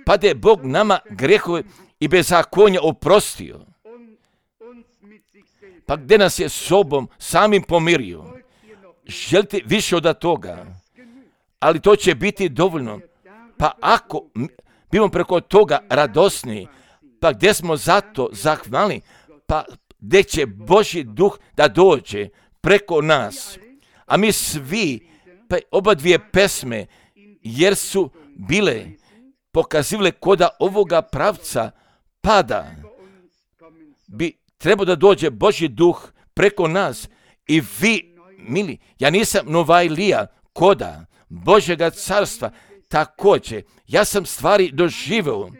pade Bog nama grehove i bezakonja oprostio. Pa gdje nas je sobom samim pomirio? Želite više od toga, ali to će biti dovoljno. Pa ako bimo preko toga radosni, pa gdje smo zato zahvalni, pa gdje će Božji duh da dođe preko nas. A mi svi, pa oba dvije pesme, jer su bile pokazivale koda ovoga pravca pada, bi trebao da dođe Božji duh preko nas. I vi, mili, ja nisam Novajlija koda Božjega carstva, također, ja sam stvari doživeo,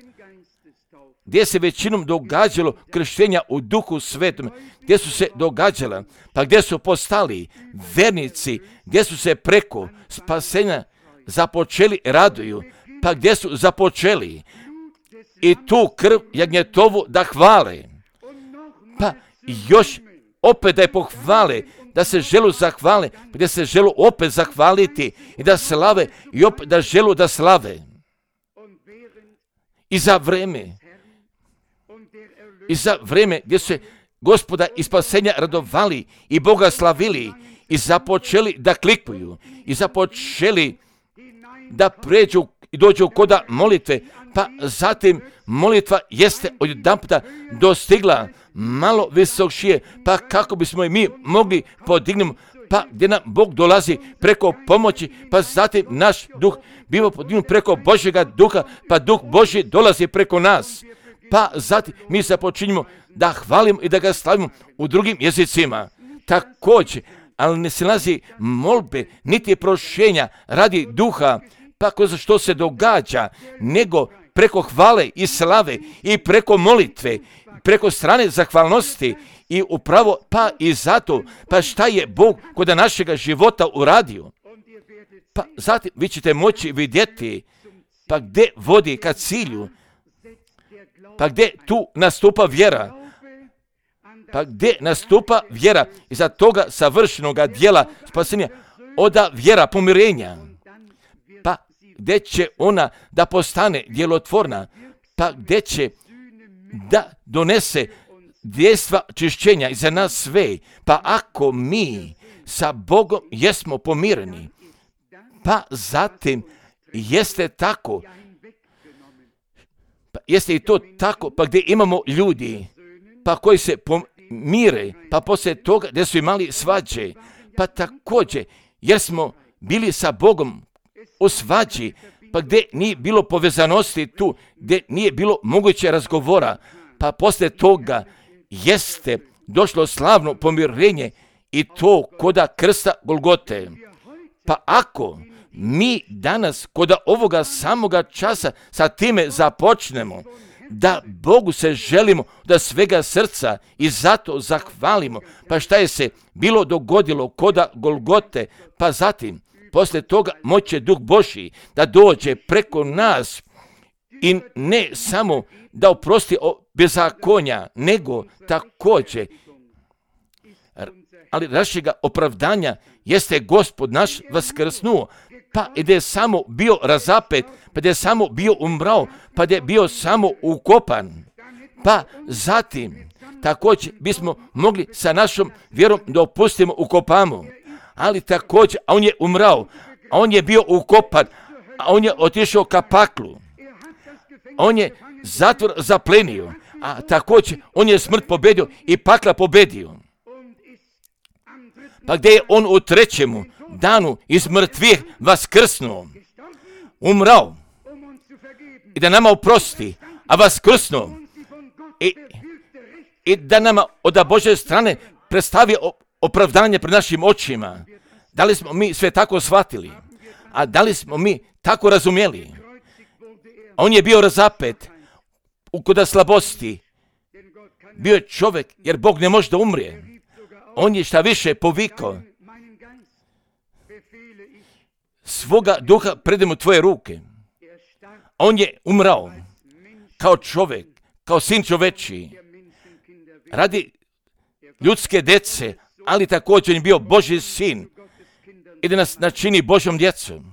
gdje se većinom događalo krštenja u Duhu Svetom, gdje su se događala, pa gdje su postali vernici, gdje su se preko spasenja započeli raduju, pa gdje su započeli i tu krv jagnjetovu da hvale, pa još opet da je pohvale, da se želu zahvale, gdje se želu opet zahvaliti i da slave i opet da želu da slave. I za vreme, i za vreme gdje su se Gospoda i spasenja radovali i Boga slavili i započeli da klikuju i započeli da pređu i dođu koda molitve, pa zatim molitva jeste odjedanputa dostigla malo visokšije, pa kako bismo i mi mogli podignuti, pa gdje nam Bog dolazi preko pomoći, pa zatim naš duh biva podignut preko Božjega duha, pa duh Božji dolazi preko nas, pa zatim mi započinjemo da hvalimo i da ga slavimo u drugim jezicima. Također, ali ne se nalazi molbe, niti prošenja radi duha, pa kroz što se događa, nego preko hvale i slave i preko molitve, preko strane zahvalnosti i upravo pa i zato, pa šta je Bog kod našega života uradio. Pa zatim vi ćete moći vidjeti, pa gdje vodi ka cilju, pa gdje tu nastupa vjera, pa gdje nastupa vjera iza toga savršenoga dijela spasenja, oda vjera pomirenja, pa gdje će ona da postane djelotvorna, pa gdje će da donese dejstva čišćenja i za nas sve, pa ako mi sa Bogom jesmo pomireni, pa zatim jeste tako, pa jeste i to tako, pa gdje imamo ljudi, pa koji se pomire, pa poslije toga gdje su imali svađe, pa također, jer smo bili sa Bogom u svađi, pa gdje nije bilo povezanosti tu, gdje nije bilo moguće razgovora, pa poslije toga jeste došlo slavno pomirenje i to koda krsta Golgote. Pa ako mi danas koda ovoga samoga časa sa time započnemo, da Bogu se želimo da svega srca i zato zahvalimo, pa šta je se bilo dogodilo koda Golgote, pa zatim poslije toga moće Duh Božji da dođe preko nas i ne samo da oprosti bezakonja, nego također ali našega opravdanja jeste Gospod naš vaskrsnuo, pa da je samo bio razapet, pa da je samo bio umrao, pa da je bio samo ukopan, pa zatim također bismo mogli sa našom vjerom da opustimo ukopamo, ali također on je umrao, a on je bio ukopan, a on je otišao ka paklu, on je zatvor zaplenio, a također on je smrt pobedio i pakla pobedio. Pa gdje je on u trećemu danu iz mrtvih vaskrsnuo, umrao i da nama oprosti, a vaskrsnuo i, i da nama od Božje strane predstavi opravdanje pred našim očima. Da li smo mi sve tako shvatili? A da li smo mi tako razumjeli? On je bio razapet u koda slabosti. Bio je čovjek, jer Bog ne može da umrije. On je šta više povikao, svoga duha predem u tvoje ruke. On je umrao kao čovjek, kao sin čoveči, radi ljudske djece, ali također je bio Božji sin i da nas načini Božjom djecom.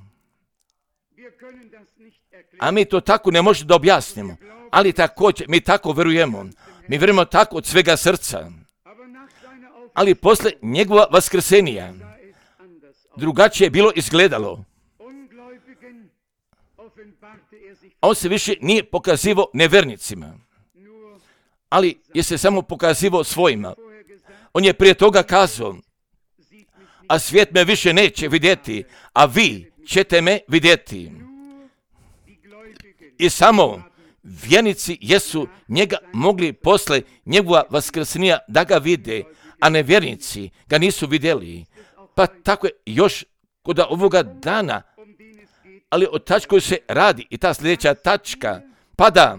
A mi to tako ne možemo da objasnimo, ali također mi tako verujemo. Mi vjerujemo tako od svega srca. Ali posle njegova vaskrsenija drugačije je bilo izgledalo. On se više nije pokazivao nevernicima, ali je se samo pokazivao svojima. On je prije toga kazao, a svijet me više neće vidjeti, a vi ćete me vidjeti. I samo vjernici jesu njega mogli posle njegova vaskrsenija da ga vide, a nevjernici ga nisu vidjeli. Pa tako je još kod ovoga dana, ali o tačku se radi i ta sljedeća tačka, pa da,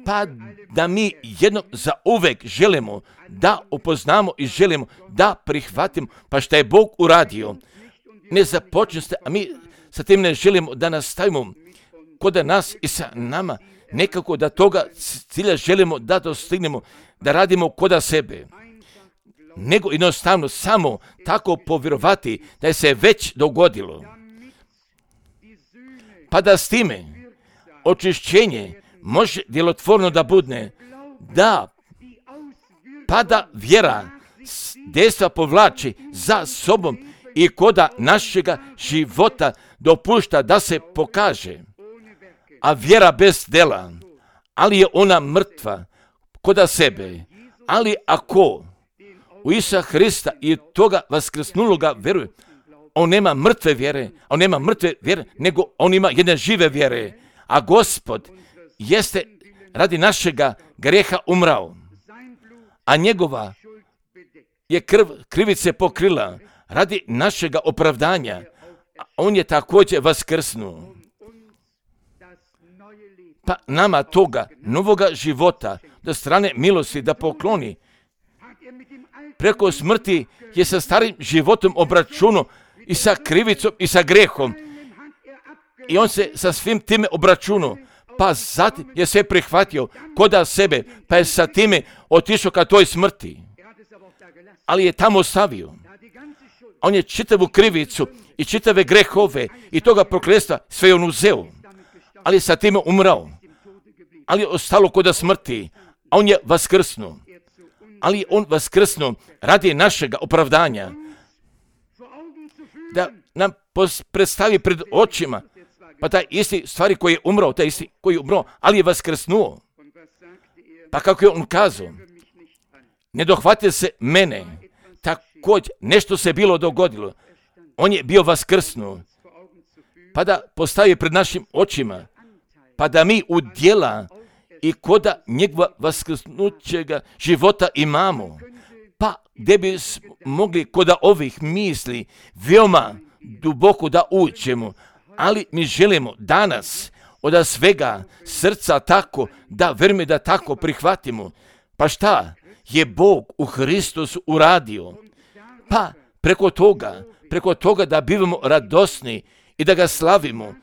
pa da mi jednom za uvek želimo da upoznamo i želimo da prihvatimo, pa šta je Bog uradio. Ne započne se, a mi sa tim ne želimo da nastavimo kod nas i sa nama, nekako da toga cilja želimo da dostignemo, da radimo kod sebe, nego jednostavno samo tako povjerovati da je se već dogodilo. Pa da s time očišćenje može djelotvorno da budne, da pa da vjera dejstva povlači za sobom i koda našega života dopušta da se pokaže. A vjera bez dela, ali je ona mrtva koda sebe. Ali ako u Isusa Hrista i toga vaskrsnuloga vjeruje, on nema mrtve vjere, on nema mrtve vjere, nego on ima jedne žive vjere. A Gospod jeste radi našega greha umrao, a njegova je krv krivice pokrila radi našega opravdanja. On je također vaskrsnuo. Pa nama toga novoga života do strane milosti da pokloni. Preko smrti je sa starim životom obračunao i sa krivicom i sa grehom. I on se sa svim time obračunao. Pa zatim je sve prihvatio koda sebe, pa je sa time otišao ka toj smrti. Ali je tamo ostavio. On je čitavu krivicu i čitave grehove i toga prokletstva sve on uzeo. Ali je sa time umrao. Ali je ostalo koda smrti. A on je vaskrsnuo. Ali on vaskrsnuo radi našega opravdanja. Da nam predstavi pred očima, pa taj isti stvari koji je umrao, taj isti koji je umrao, ali je vaskrsnuo. Pa kako je on kazao, ne dohvatite se mene, također nešto se bilo dogodilo. On je bio vaskrsnuo. Pa da postavi pred našim očima, pa da mi u djela i koda njegova vaskrsnućega života imamo, pa gdje bi mogli koda ovih misli veoma duboko da uđemo, ali mi želimo danas od svega srca tako da verme da tako prihvatimo. Pa šta je Bog u Hristusu uradio? Pa preko toga, preko toga da bivamo radosni i da ga slavimo,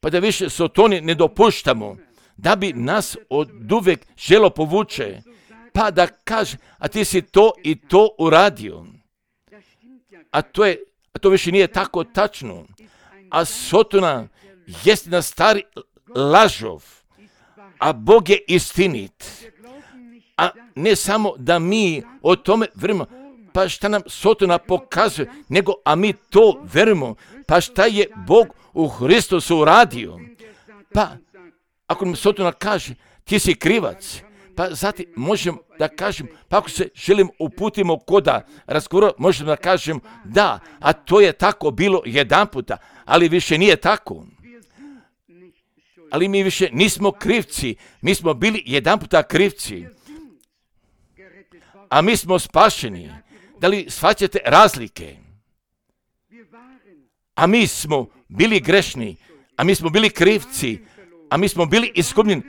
pa da više sotoni ne dopuštamo, da bi nas od uvek želo povuče, pa da kaže, a ti si to i to uradio. A to, je, a to više nije tako tačno. A Sotona jest na stari lažov, a Bog je istinit. A ne samo da mi o tome verujemo, pa šta nam Sotona pokazuje, nego a mi to verujemo, pa šta je Bog u Hristusu uradio. Pa ako nam Sotona kaže, ti si krivac, pa zatim možemo da kažem, pa ako se želim uputimo koda razgovora, možemo da kažem da, a to je tako bilo jedan puta, ali više nije tako. Ali mi više nismo krivci, mi smo bili jedan puta krivci, a mi smo spašeni. Da li shvaćate razlike? A mi smo bili grešni, a mi smo bili krivci, a mi smo bili izgubljeni,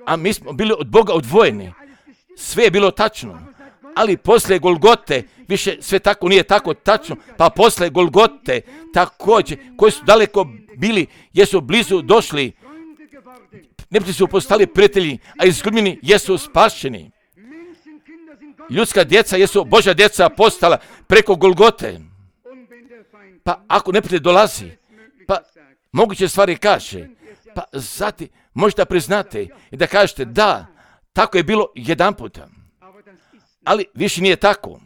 a mi smo bili od Boga odvojeni. Sve je bilo tačno, ali posle Golgote više sve tako nije tako tačno, pa posle Golgote također, koji su daleko bili, jesu blizu došli, neprijatelji su postali prijatelji, a izgubljeni jesu spašeni. Ljudska djeca jesu Božja djeca postala preko Golgote. Pa ako neprijatelj dolazi, pa moguće stvari kaže, pa zatim možete priznate i da kažete da, tako je bilo jedan puta. Ali više nije tako.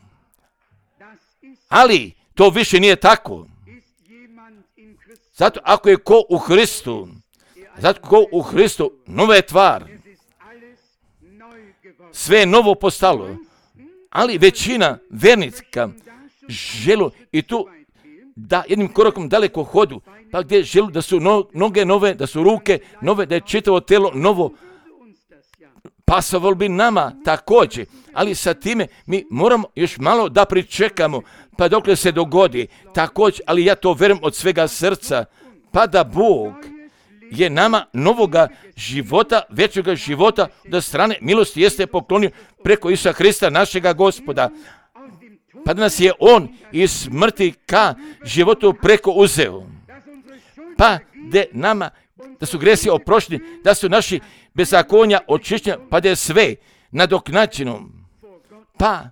Ali to više nije tako. Zato ako je ko u Hristu, zato ko u Hristu, nova je tvar. Sve je novo postalo. Ali većina vernika želu i tu da jednim korakom daleko hodu, pa gdje želu da su no, noge nove, da su ruke nove, da je čitavo telo novo. Pasovalo bi nama također, ali sa time mi moramo još malo da pričekamo, pa dokle se dogodi također, ali ja to verujem od svega srca, pa da Bog je nama novoga života, većega života da strane milosti jeste poklonio preko Isusa Hrista, našega Gospoda. Pa da nas je On iz smrti ka životu preko uzeo. Pa da nama, da su gresi oprošteni, da su naši bezakonja očišćeni, pa da je sve nadoknađeno. Pa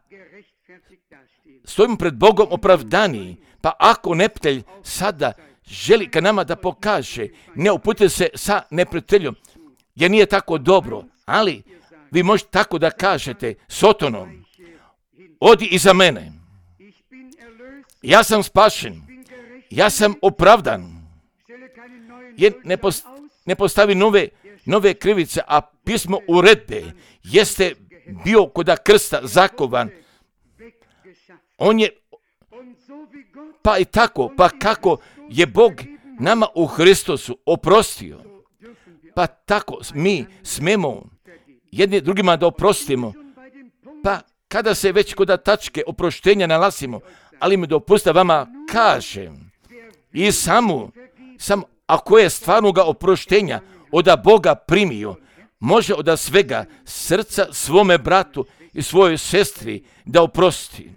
stojimo pred Bogom opravdani, pa ako neprijatelj sada želi ka nama da pokaže, ne uputite se sa neprijateljom, jer nije tako dobro, ali vi možete tako da kažete Sotonom, odi iza mene, ja sam spašen, ja sam opravdan, jer ne, post, ne postavi nove, nove krivice, a pismo uredbe jeste bio koda krsta zakovan, on je, pa i tako, pa kako je Bog nama u Hristusu oprostio, pa tako mi smemo jedni drugima da oprostimo, pa kada se već kod tačke oproštenja nalazimo, ali mi dopusta vama kažem, i samo, samo ako je stvarnoga oproštenja od Boga primio, može od svega srca svome bratu i svojoj sestri da oprosti.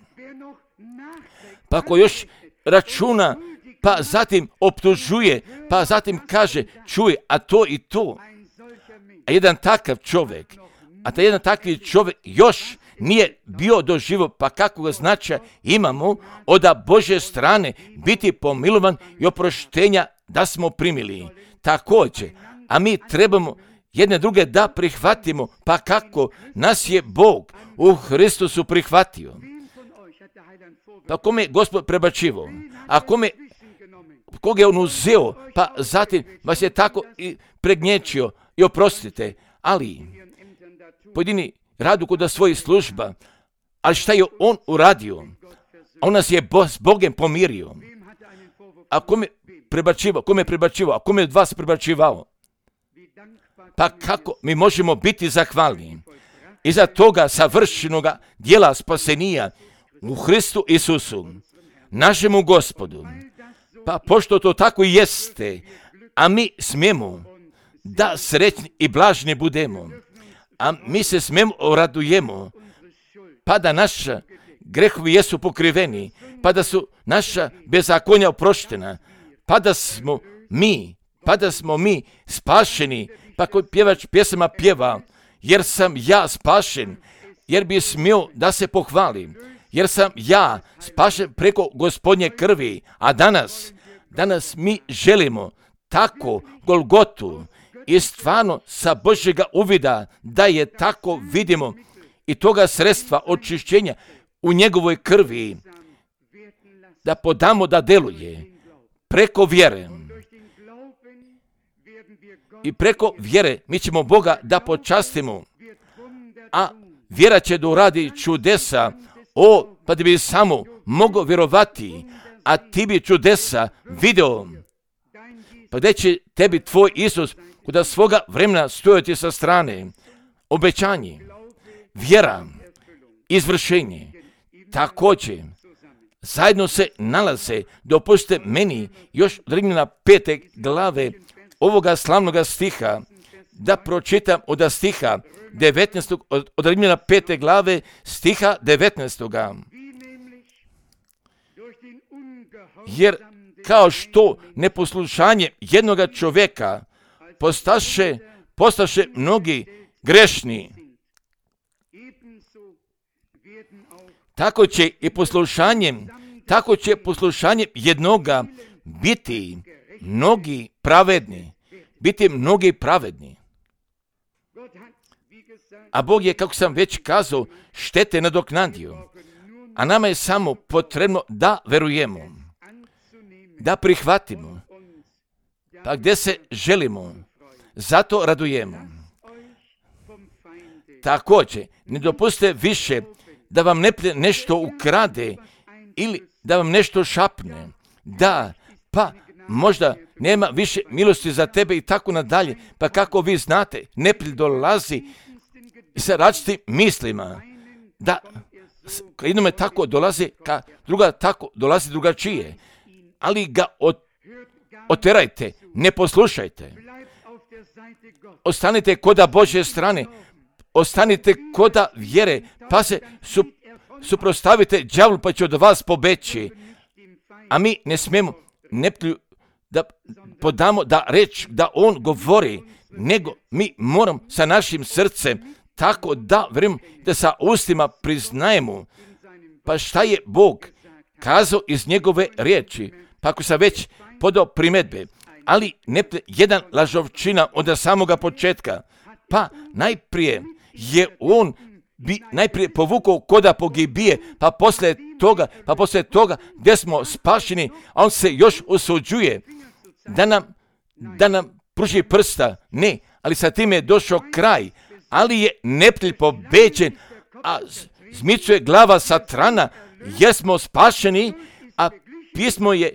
Pa ako još računa, pa zatim optužuje, pa zatim kaže, čuj, a to i to. A jedan takav čovjek, a taj jedan takvi čovjek još nije bio doživio, pa kakvog značaja imamo od Božje strane biti pomilovan i oproštenja da smo primili. Također, a mi trebamo jedne druge da prihvatimo, pa kako nas je Bog u Hristusu prihvatio. Pa kome je Gospod prebačivo, a kome, koga je on uzeo, pa zatim vas je tako i pregnječio i oprostite, ali pojedini radu kod svojih služba, ali šta je on uradio? On nas je s Bogem pomirio. A kome prebačivao? Kome je prebačivao? A kome je od vas prebačivao? Pa kako mi možemo biti zahvalni iza toga savršenoga dijela spasenija u Hristu Isusu, našemu Gospodu. Pa pošto to tako i jeste, a mi smijemo da srećni i blažni budemo, a mi se smijemo radujemo, pa da naša grehovi jesu pokriveni, pa da su naša bezakonja oproštena, pa da smo mi, pa da smo mi spašeni, pa koji pjevač pjesama pjeva, jer sam ja spašen, jer bi smio da se pohvalim, jer sam ja spašen preko Gospodnje krvi, a danas, danas mi želimo tako Golgotu i stvarno sa Božjega uvida da je tako vidimo i toga sredstva očišćenja u njegovoj krvi da podamo da deluje preko vjere. I preko vjere mi ćemo Boga da počastimo, a vjera će da uradi čudesa. O, pa da bi samo mogao vjerovati, a ti bi čudesa video. Pa gdje će tebi tvoj Isus kuda svoga vremena stojati sa strane? Obećanje, vjera, izvršenje, također zajedno se nalaze. Dopustite meni još od Rimljana pete glave ovoga slavnoga stiha da pročitam od stiha devetnaestog, od, od Rimljana pete glave stiha devetnaestog. Jer kao što neposlušanje jednoga čovjeka postaše, postaše mnogi grešni, tako će i poslušanjem, tako će poslušanjem jednoga biti mnogi pravedni, biti mnogi pravedni. A Bog je, kako sam već kazao, štete nadoknadio. A nama je samo potrebno da verujemo, da prihvatimo, pa gdje se želimo, zato radujemo. Također, ne dopustite više da vam neprijatelj nešto ukrade ili da vam nešto šapne. Da, pa možda nema više milosti za tebe i tako nadalje. Pa kako vi znate, neprijatelj dolazi sa različitim mislima. Da, jednome tako dolazi, ka druga tako dolazi drugačije. Ali ga od, oterajte, ne poslušajte. Ostanite koda Božje strane, ostanite koda vjere, pa se su, suprostavite đavlu, pa će od vas pobeći. A mi ne smijemo neprijatelju da podamo da reč, da on govori, nego mi moramo sa našim srcem tako da vjerujemo, da sa ustima priznajemo, pa šta je Bog kazao iz njegove riječi. Pa ako sam već podao primjedbe, ali ne jedan lažovčina od samoga početka, pa najprije je on bi najprije povukao koda pogibije, pa poslije toga, pa poslije toga gdje smo spašeni, a on se još osuđuje da nam, da nam pruži prsta. Ne, ali sa tim je došao kraj, ali je neprijatelj pobeđen, a zmicuje glava satrana, jer smo spašeni, a pismo je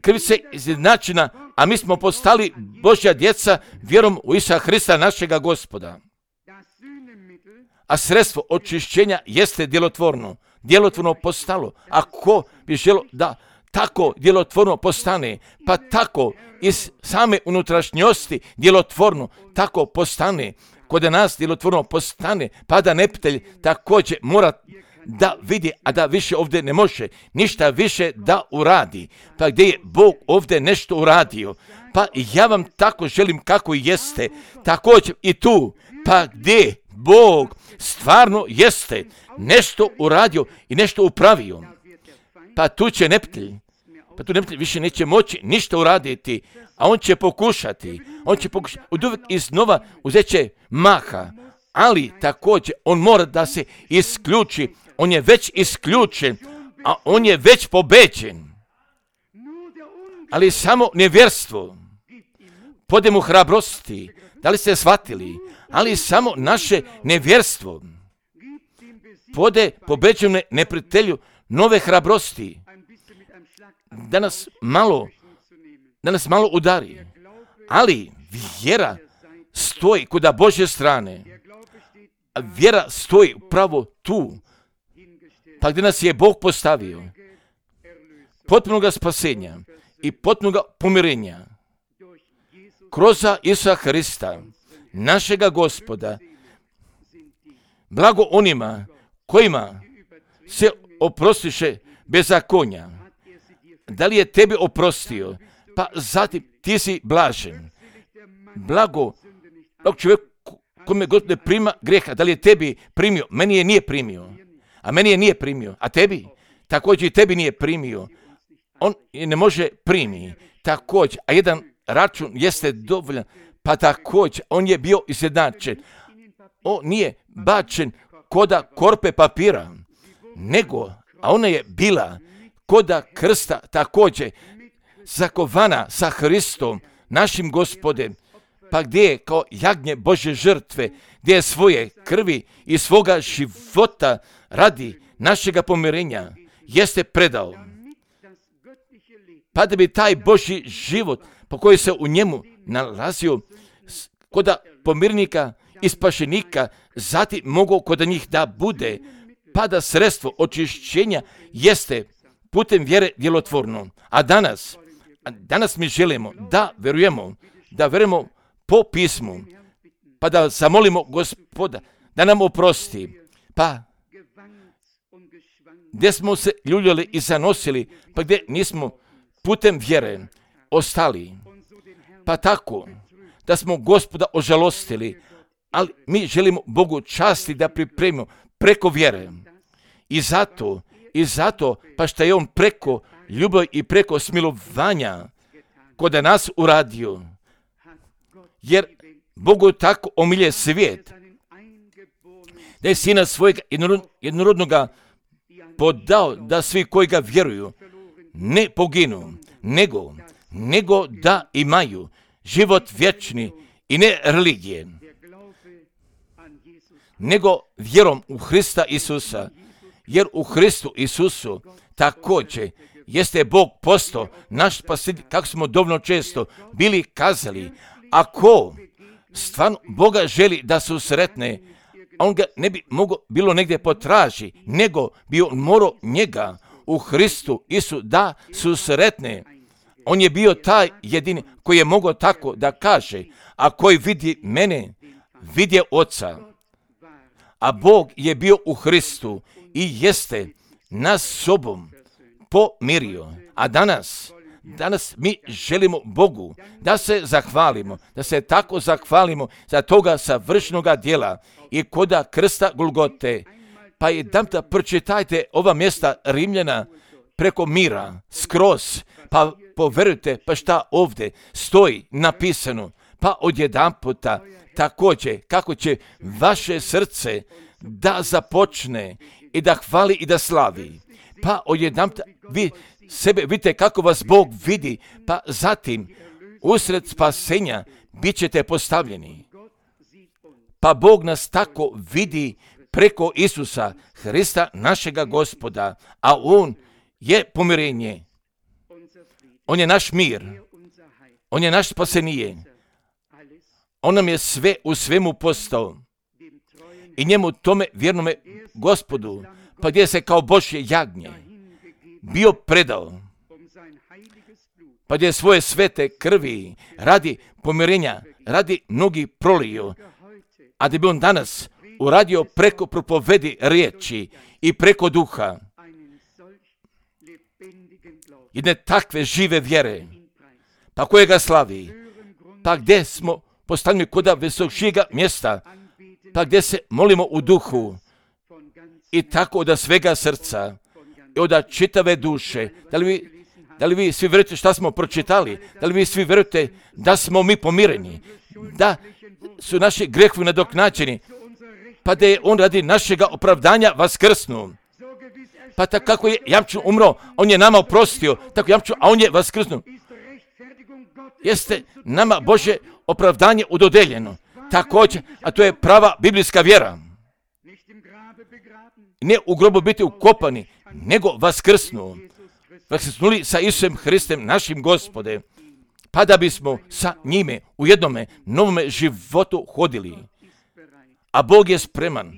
krivice izjednačena, a mi smo postali Božja djeca vjerom u Isusa Hrista našega Gospoda. A sredstvo očišćenja jeste djelotvorno, djelotvorno postalo. A ko bi želio da tako djelotvorno postane, pa tako iz same unutrašnjosti djelotvorno tako postane, kod nas djelotvorno postane, pa da neprijatelj također mora da vidi, a da više ovdje ne može ništa više da uradi. Pa gdje je Bog ovdje nešto uradio, pa ja vam tako želim kako jeste, također i tu, pa gdje Bog stvarno jeste nešto uradio i nešto upravio, pa tu će neprijatelj, pa tu neprijatelj više neće moći ništa uraditi, a on će pokušati, on će pokušati, od uvijek iznova uzet će maha, ali također on mora da se isključi, on je već isključen, a on je već pobeđen. Ali samo nevjerstvo pode mu hrabrosti, da li ste shvatili, ali samo naše nevjerstvo pode pobeđene neprijatelju nove hrabrosti, da nas malo, da nas malo udari. Ali vjera stoji kuda Božje strane, a vjera stoji upravo tu, pa gdje nas je Bog postavio, potpunoga spasenja i potpunoga pomirenja kroz Isusa Hrista, našega Gospoda. Blago onima kojima se oprostiše bezakonja. Da li je tebi oprostio, pa zatim ti si blažen. Blago, blago čovjek kome god ne prima greha, da li je tebi primio? Meni je nije primio. A meni je nije primio. A tebi? Također i tebi nije primio. On je ne može primi. Također, a jedan račun jeste dovoljan, pa također, on je bio izjednačen. On nije bačen koda korpe papira, nego, a ona je bila koda krsta također zakovana sa Hristom, našim Gospodem, pa gdje je kao jagnje Božje žrtve, gdje je svoje krvi i svoga života radi našega pomirenja, jeste predao. Pa da bi taj Božji život, po koji se u njemu nalazio, koda pomirnika i spašenika, zatim mogu kod njih da bude, pa da sredstvo očišćenja jeste putem vjere djelotvorno. A danas, a danas mi želimo da verujemo, da verujemo po pismu, pa da zamolimo Gospoda da nam oprosti. Pa gdje smo se ljuljali i zanosili, pa gdje nismo putem vjere ostali. Pa tako da smo Gospoda ožalostili, ali mi želimo Bogu časti da pripremimo preko vjere. I zato, i zato, pa što je On preko ljubavi i preko smilovanja kod nas uradio. Jer Bogu tako omilje svijet, da je Sina svojega jednorodnoga podao da svi koji ga vjeruju ne poginu, nego, nego da imaju život vječni i ne religije, nego vjerom u Hrista Isusa, jer u Hristu Isusu također jeste Bog postao naš spasitelj, kako smo dovoljno često bili kazali. Ako stvarno Boga želi da su sretne, on ga ne bi mogao bilo negdje potraži, nego bi on morao njega u Hristu Isu da su sretne. On je bio taj jedini koji je mogao tako da kaže, a koji vidi mene, vidje Oca. A Bog je bio u Hristu i jeste nas sobom pomirio. A danas, danas mi želimo Bogu da se zahvalimo, da se tako zahvalimo za toga savršenoga djela i koda krsta Golgote. Pa jedan da pročitajte ova mjesta Rimljana preko mira, skroz, pa poverujte, pa šta ovdje stoji napisano, pa odjedan puta također kako će vaše srce da započne i da hvali i da slavi. Pa odjedan puta vi sebe vidite kako vas Bog vidi, pa zatim usred spasenja bit ćete postavljeni. Pa Bog nas tako vidi preko Isusa, Hrista našega Gospoda, a On je pomirenje. On je naš mir. On je naš spasenije. On nam je sve u svemu postao. I njemu tome vjernome Gospodu, pa gdje se kao Božje jagnje bio predao, pa gdje je svoje svete krvi radi pomirenja, radi mnogi prolio, a da bi on danas uradio preko propovedi riječi i preko duha jedne takve žive vjere, pa koje ga slavi, pa gdje smo postavljeni koda visokšijega mjesta, pa gdje se molimo u duhu i tako od svega srca i od čitave duše. Da li vi, da li vi svi vjerujete šta smo pročitali? Da li vi svi vjerujete da smo mi pomireni? Da su naši grehovi nadoknađeni? Pa da je on radi našega opravdanja vaskrsnuo. Pa tako kako je jamčun umro, on je nama oprostio, tako jamčun, a on je vaskrsnuo. Jeste nama Božje opravdanje udodeljeno. Također, a to je prava biblijska vjera. Ne u grobu biti ukopani, nego vaskrsnu. Vaskrsnuli sa Isusom Hristem, našim Gospode, pa da bismo sa njime u jednome novome životu hodili. A Bog je spreman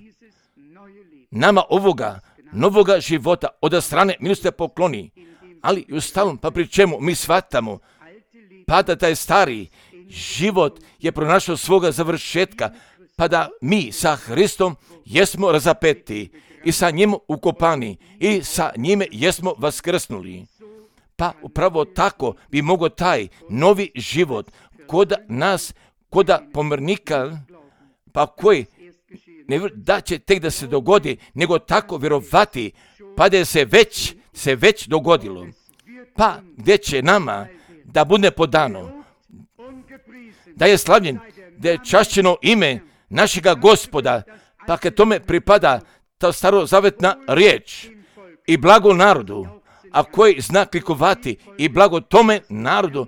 nama ovoga novoga života od strane milosti pokloni, ali i u stalnom, pa pri čemu mi shvatamo, pa da taj stari život je pronašao svoga završetka, pa da mi sa Hristom jesmo razapeti i sa njim ukopani i sa njime jesmo vaskrsnuli. Pa upravo tako bi mogao taj novi život kod nas, kod pomirnika, pa koji ne da će tek da se dogodi, nego tako vjerovati, pa da je se već, se već dogodilo. Pa gdje će nama da bude podano, da je slavljen, da je čašćeno ime našega Gospoda, pa kad tome pripada ta starozavetna riječ i blago narodu, a koji zna klikovati i blago tome narodu,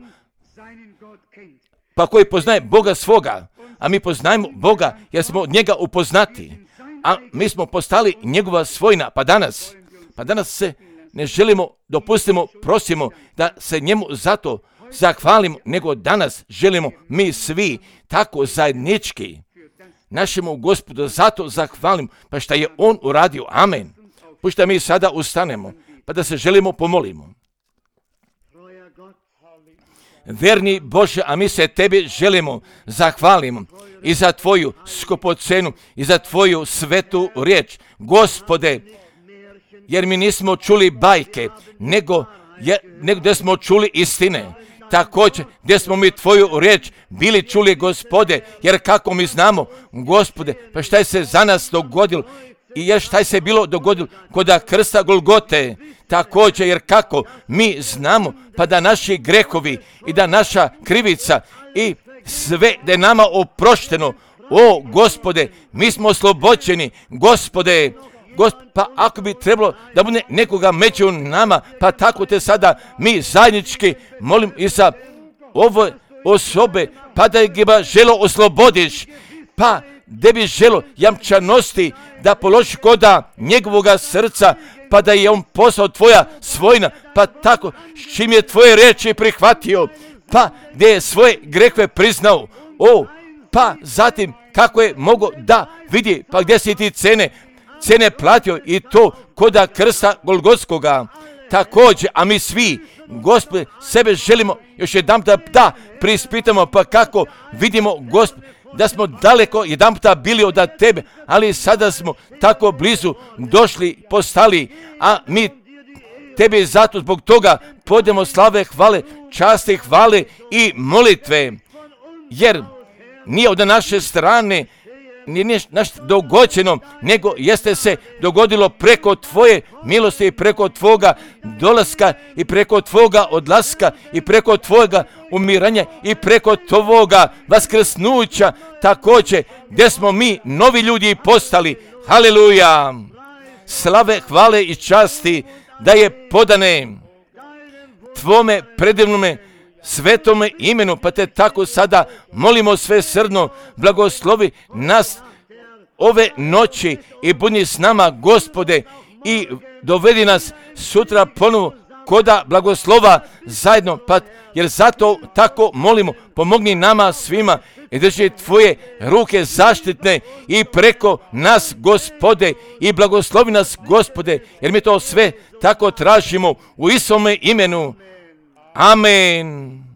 pa koji poznaje Boga svoga, a mi poznajemo Boga jer smo od njega upoznati, a mi smo postali njegova svojina, pa danas, pa danas se ne želimo, dopustimo, prosimo da se njemu zato zahvalimo, nego danas želimo mi svi tako zajednički našemu Gospodu zato zahvalim, pa šta je on uradio. Amen. Pušta mi sada ustanemo, pa da se želimo pomolimo. Verni Bože, a mi se tebi želimo zahvalimo i za tvoju skupocenu i za tvoju svetu riječ, Gospode, jer mi nismo čuli bajke, nego, je, nego gdje smo čuli istine. Također, gdje smo mi tvoju riječ bili čuli, Gospode, jer kako mi znamo, Gospode, pa šta je se za nas dogodilo i jer šta je se bilo dogodilo kod krsta Golgote, također, jer kako mi znamo, pa da naši grehovi i da naša krivica i sve da je nama oprošteno, o Gospode, mi smo oslobođeni, Gospode, Gospod, pa ako bi trebalo da bude nekoga među nama, pa tako te sada mi zajednički molim i za ove osobe, pa da ga želo oslobodiš, pa da bi želo jamčanosti da položi koda njegovoga srca, pa da je on postao tvoja svojina, pa tako s čim je tvoje riječi prihvatio, pa da je svoje grehove priznao, o, pa zatim kako je mogo da vidi, pa gdje si ti cene, cene platio i to koda krsta Golgotskoga. Također, a mi svi, Gospode, sebe želimo još jedan da, da prispitamo, pa kako vidimo, Gospode, da smo daleko jedan puta bili od tebe, ali sada smo tako blizu došli, postali, a mi tebi zato zbog toga podemo slave, hvale, časti, hvale i molitve, jer nije od naše strane, nije naš dogođeno, nego jeste se dogodilo preko tvoje milosti i preko tvoga dolaska i preko tvoga odlaska i preko tvojega umiranja i preko tvoga vaskrsnuća, također gdje smo mi novi ljudi postali. Haleluja! Slave, hvale i časti da je podane tvome predivnome svetome imenu, pa te tako sada molimo sve srdno, blagoslovi nas ove noći i budi s nama, Gospode, i dovedi nas sutra ponovo koda blagoslova zajedno, pa jer zato tako molimo, pomogni nama svima i drži tvoje ruke zaštitne i preko nas, Gospode, i blagoslovi nas, Gospode, jer mi to sve tako tražimo u Isome imenu. Amen.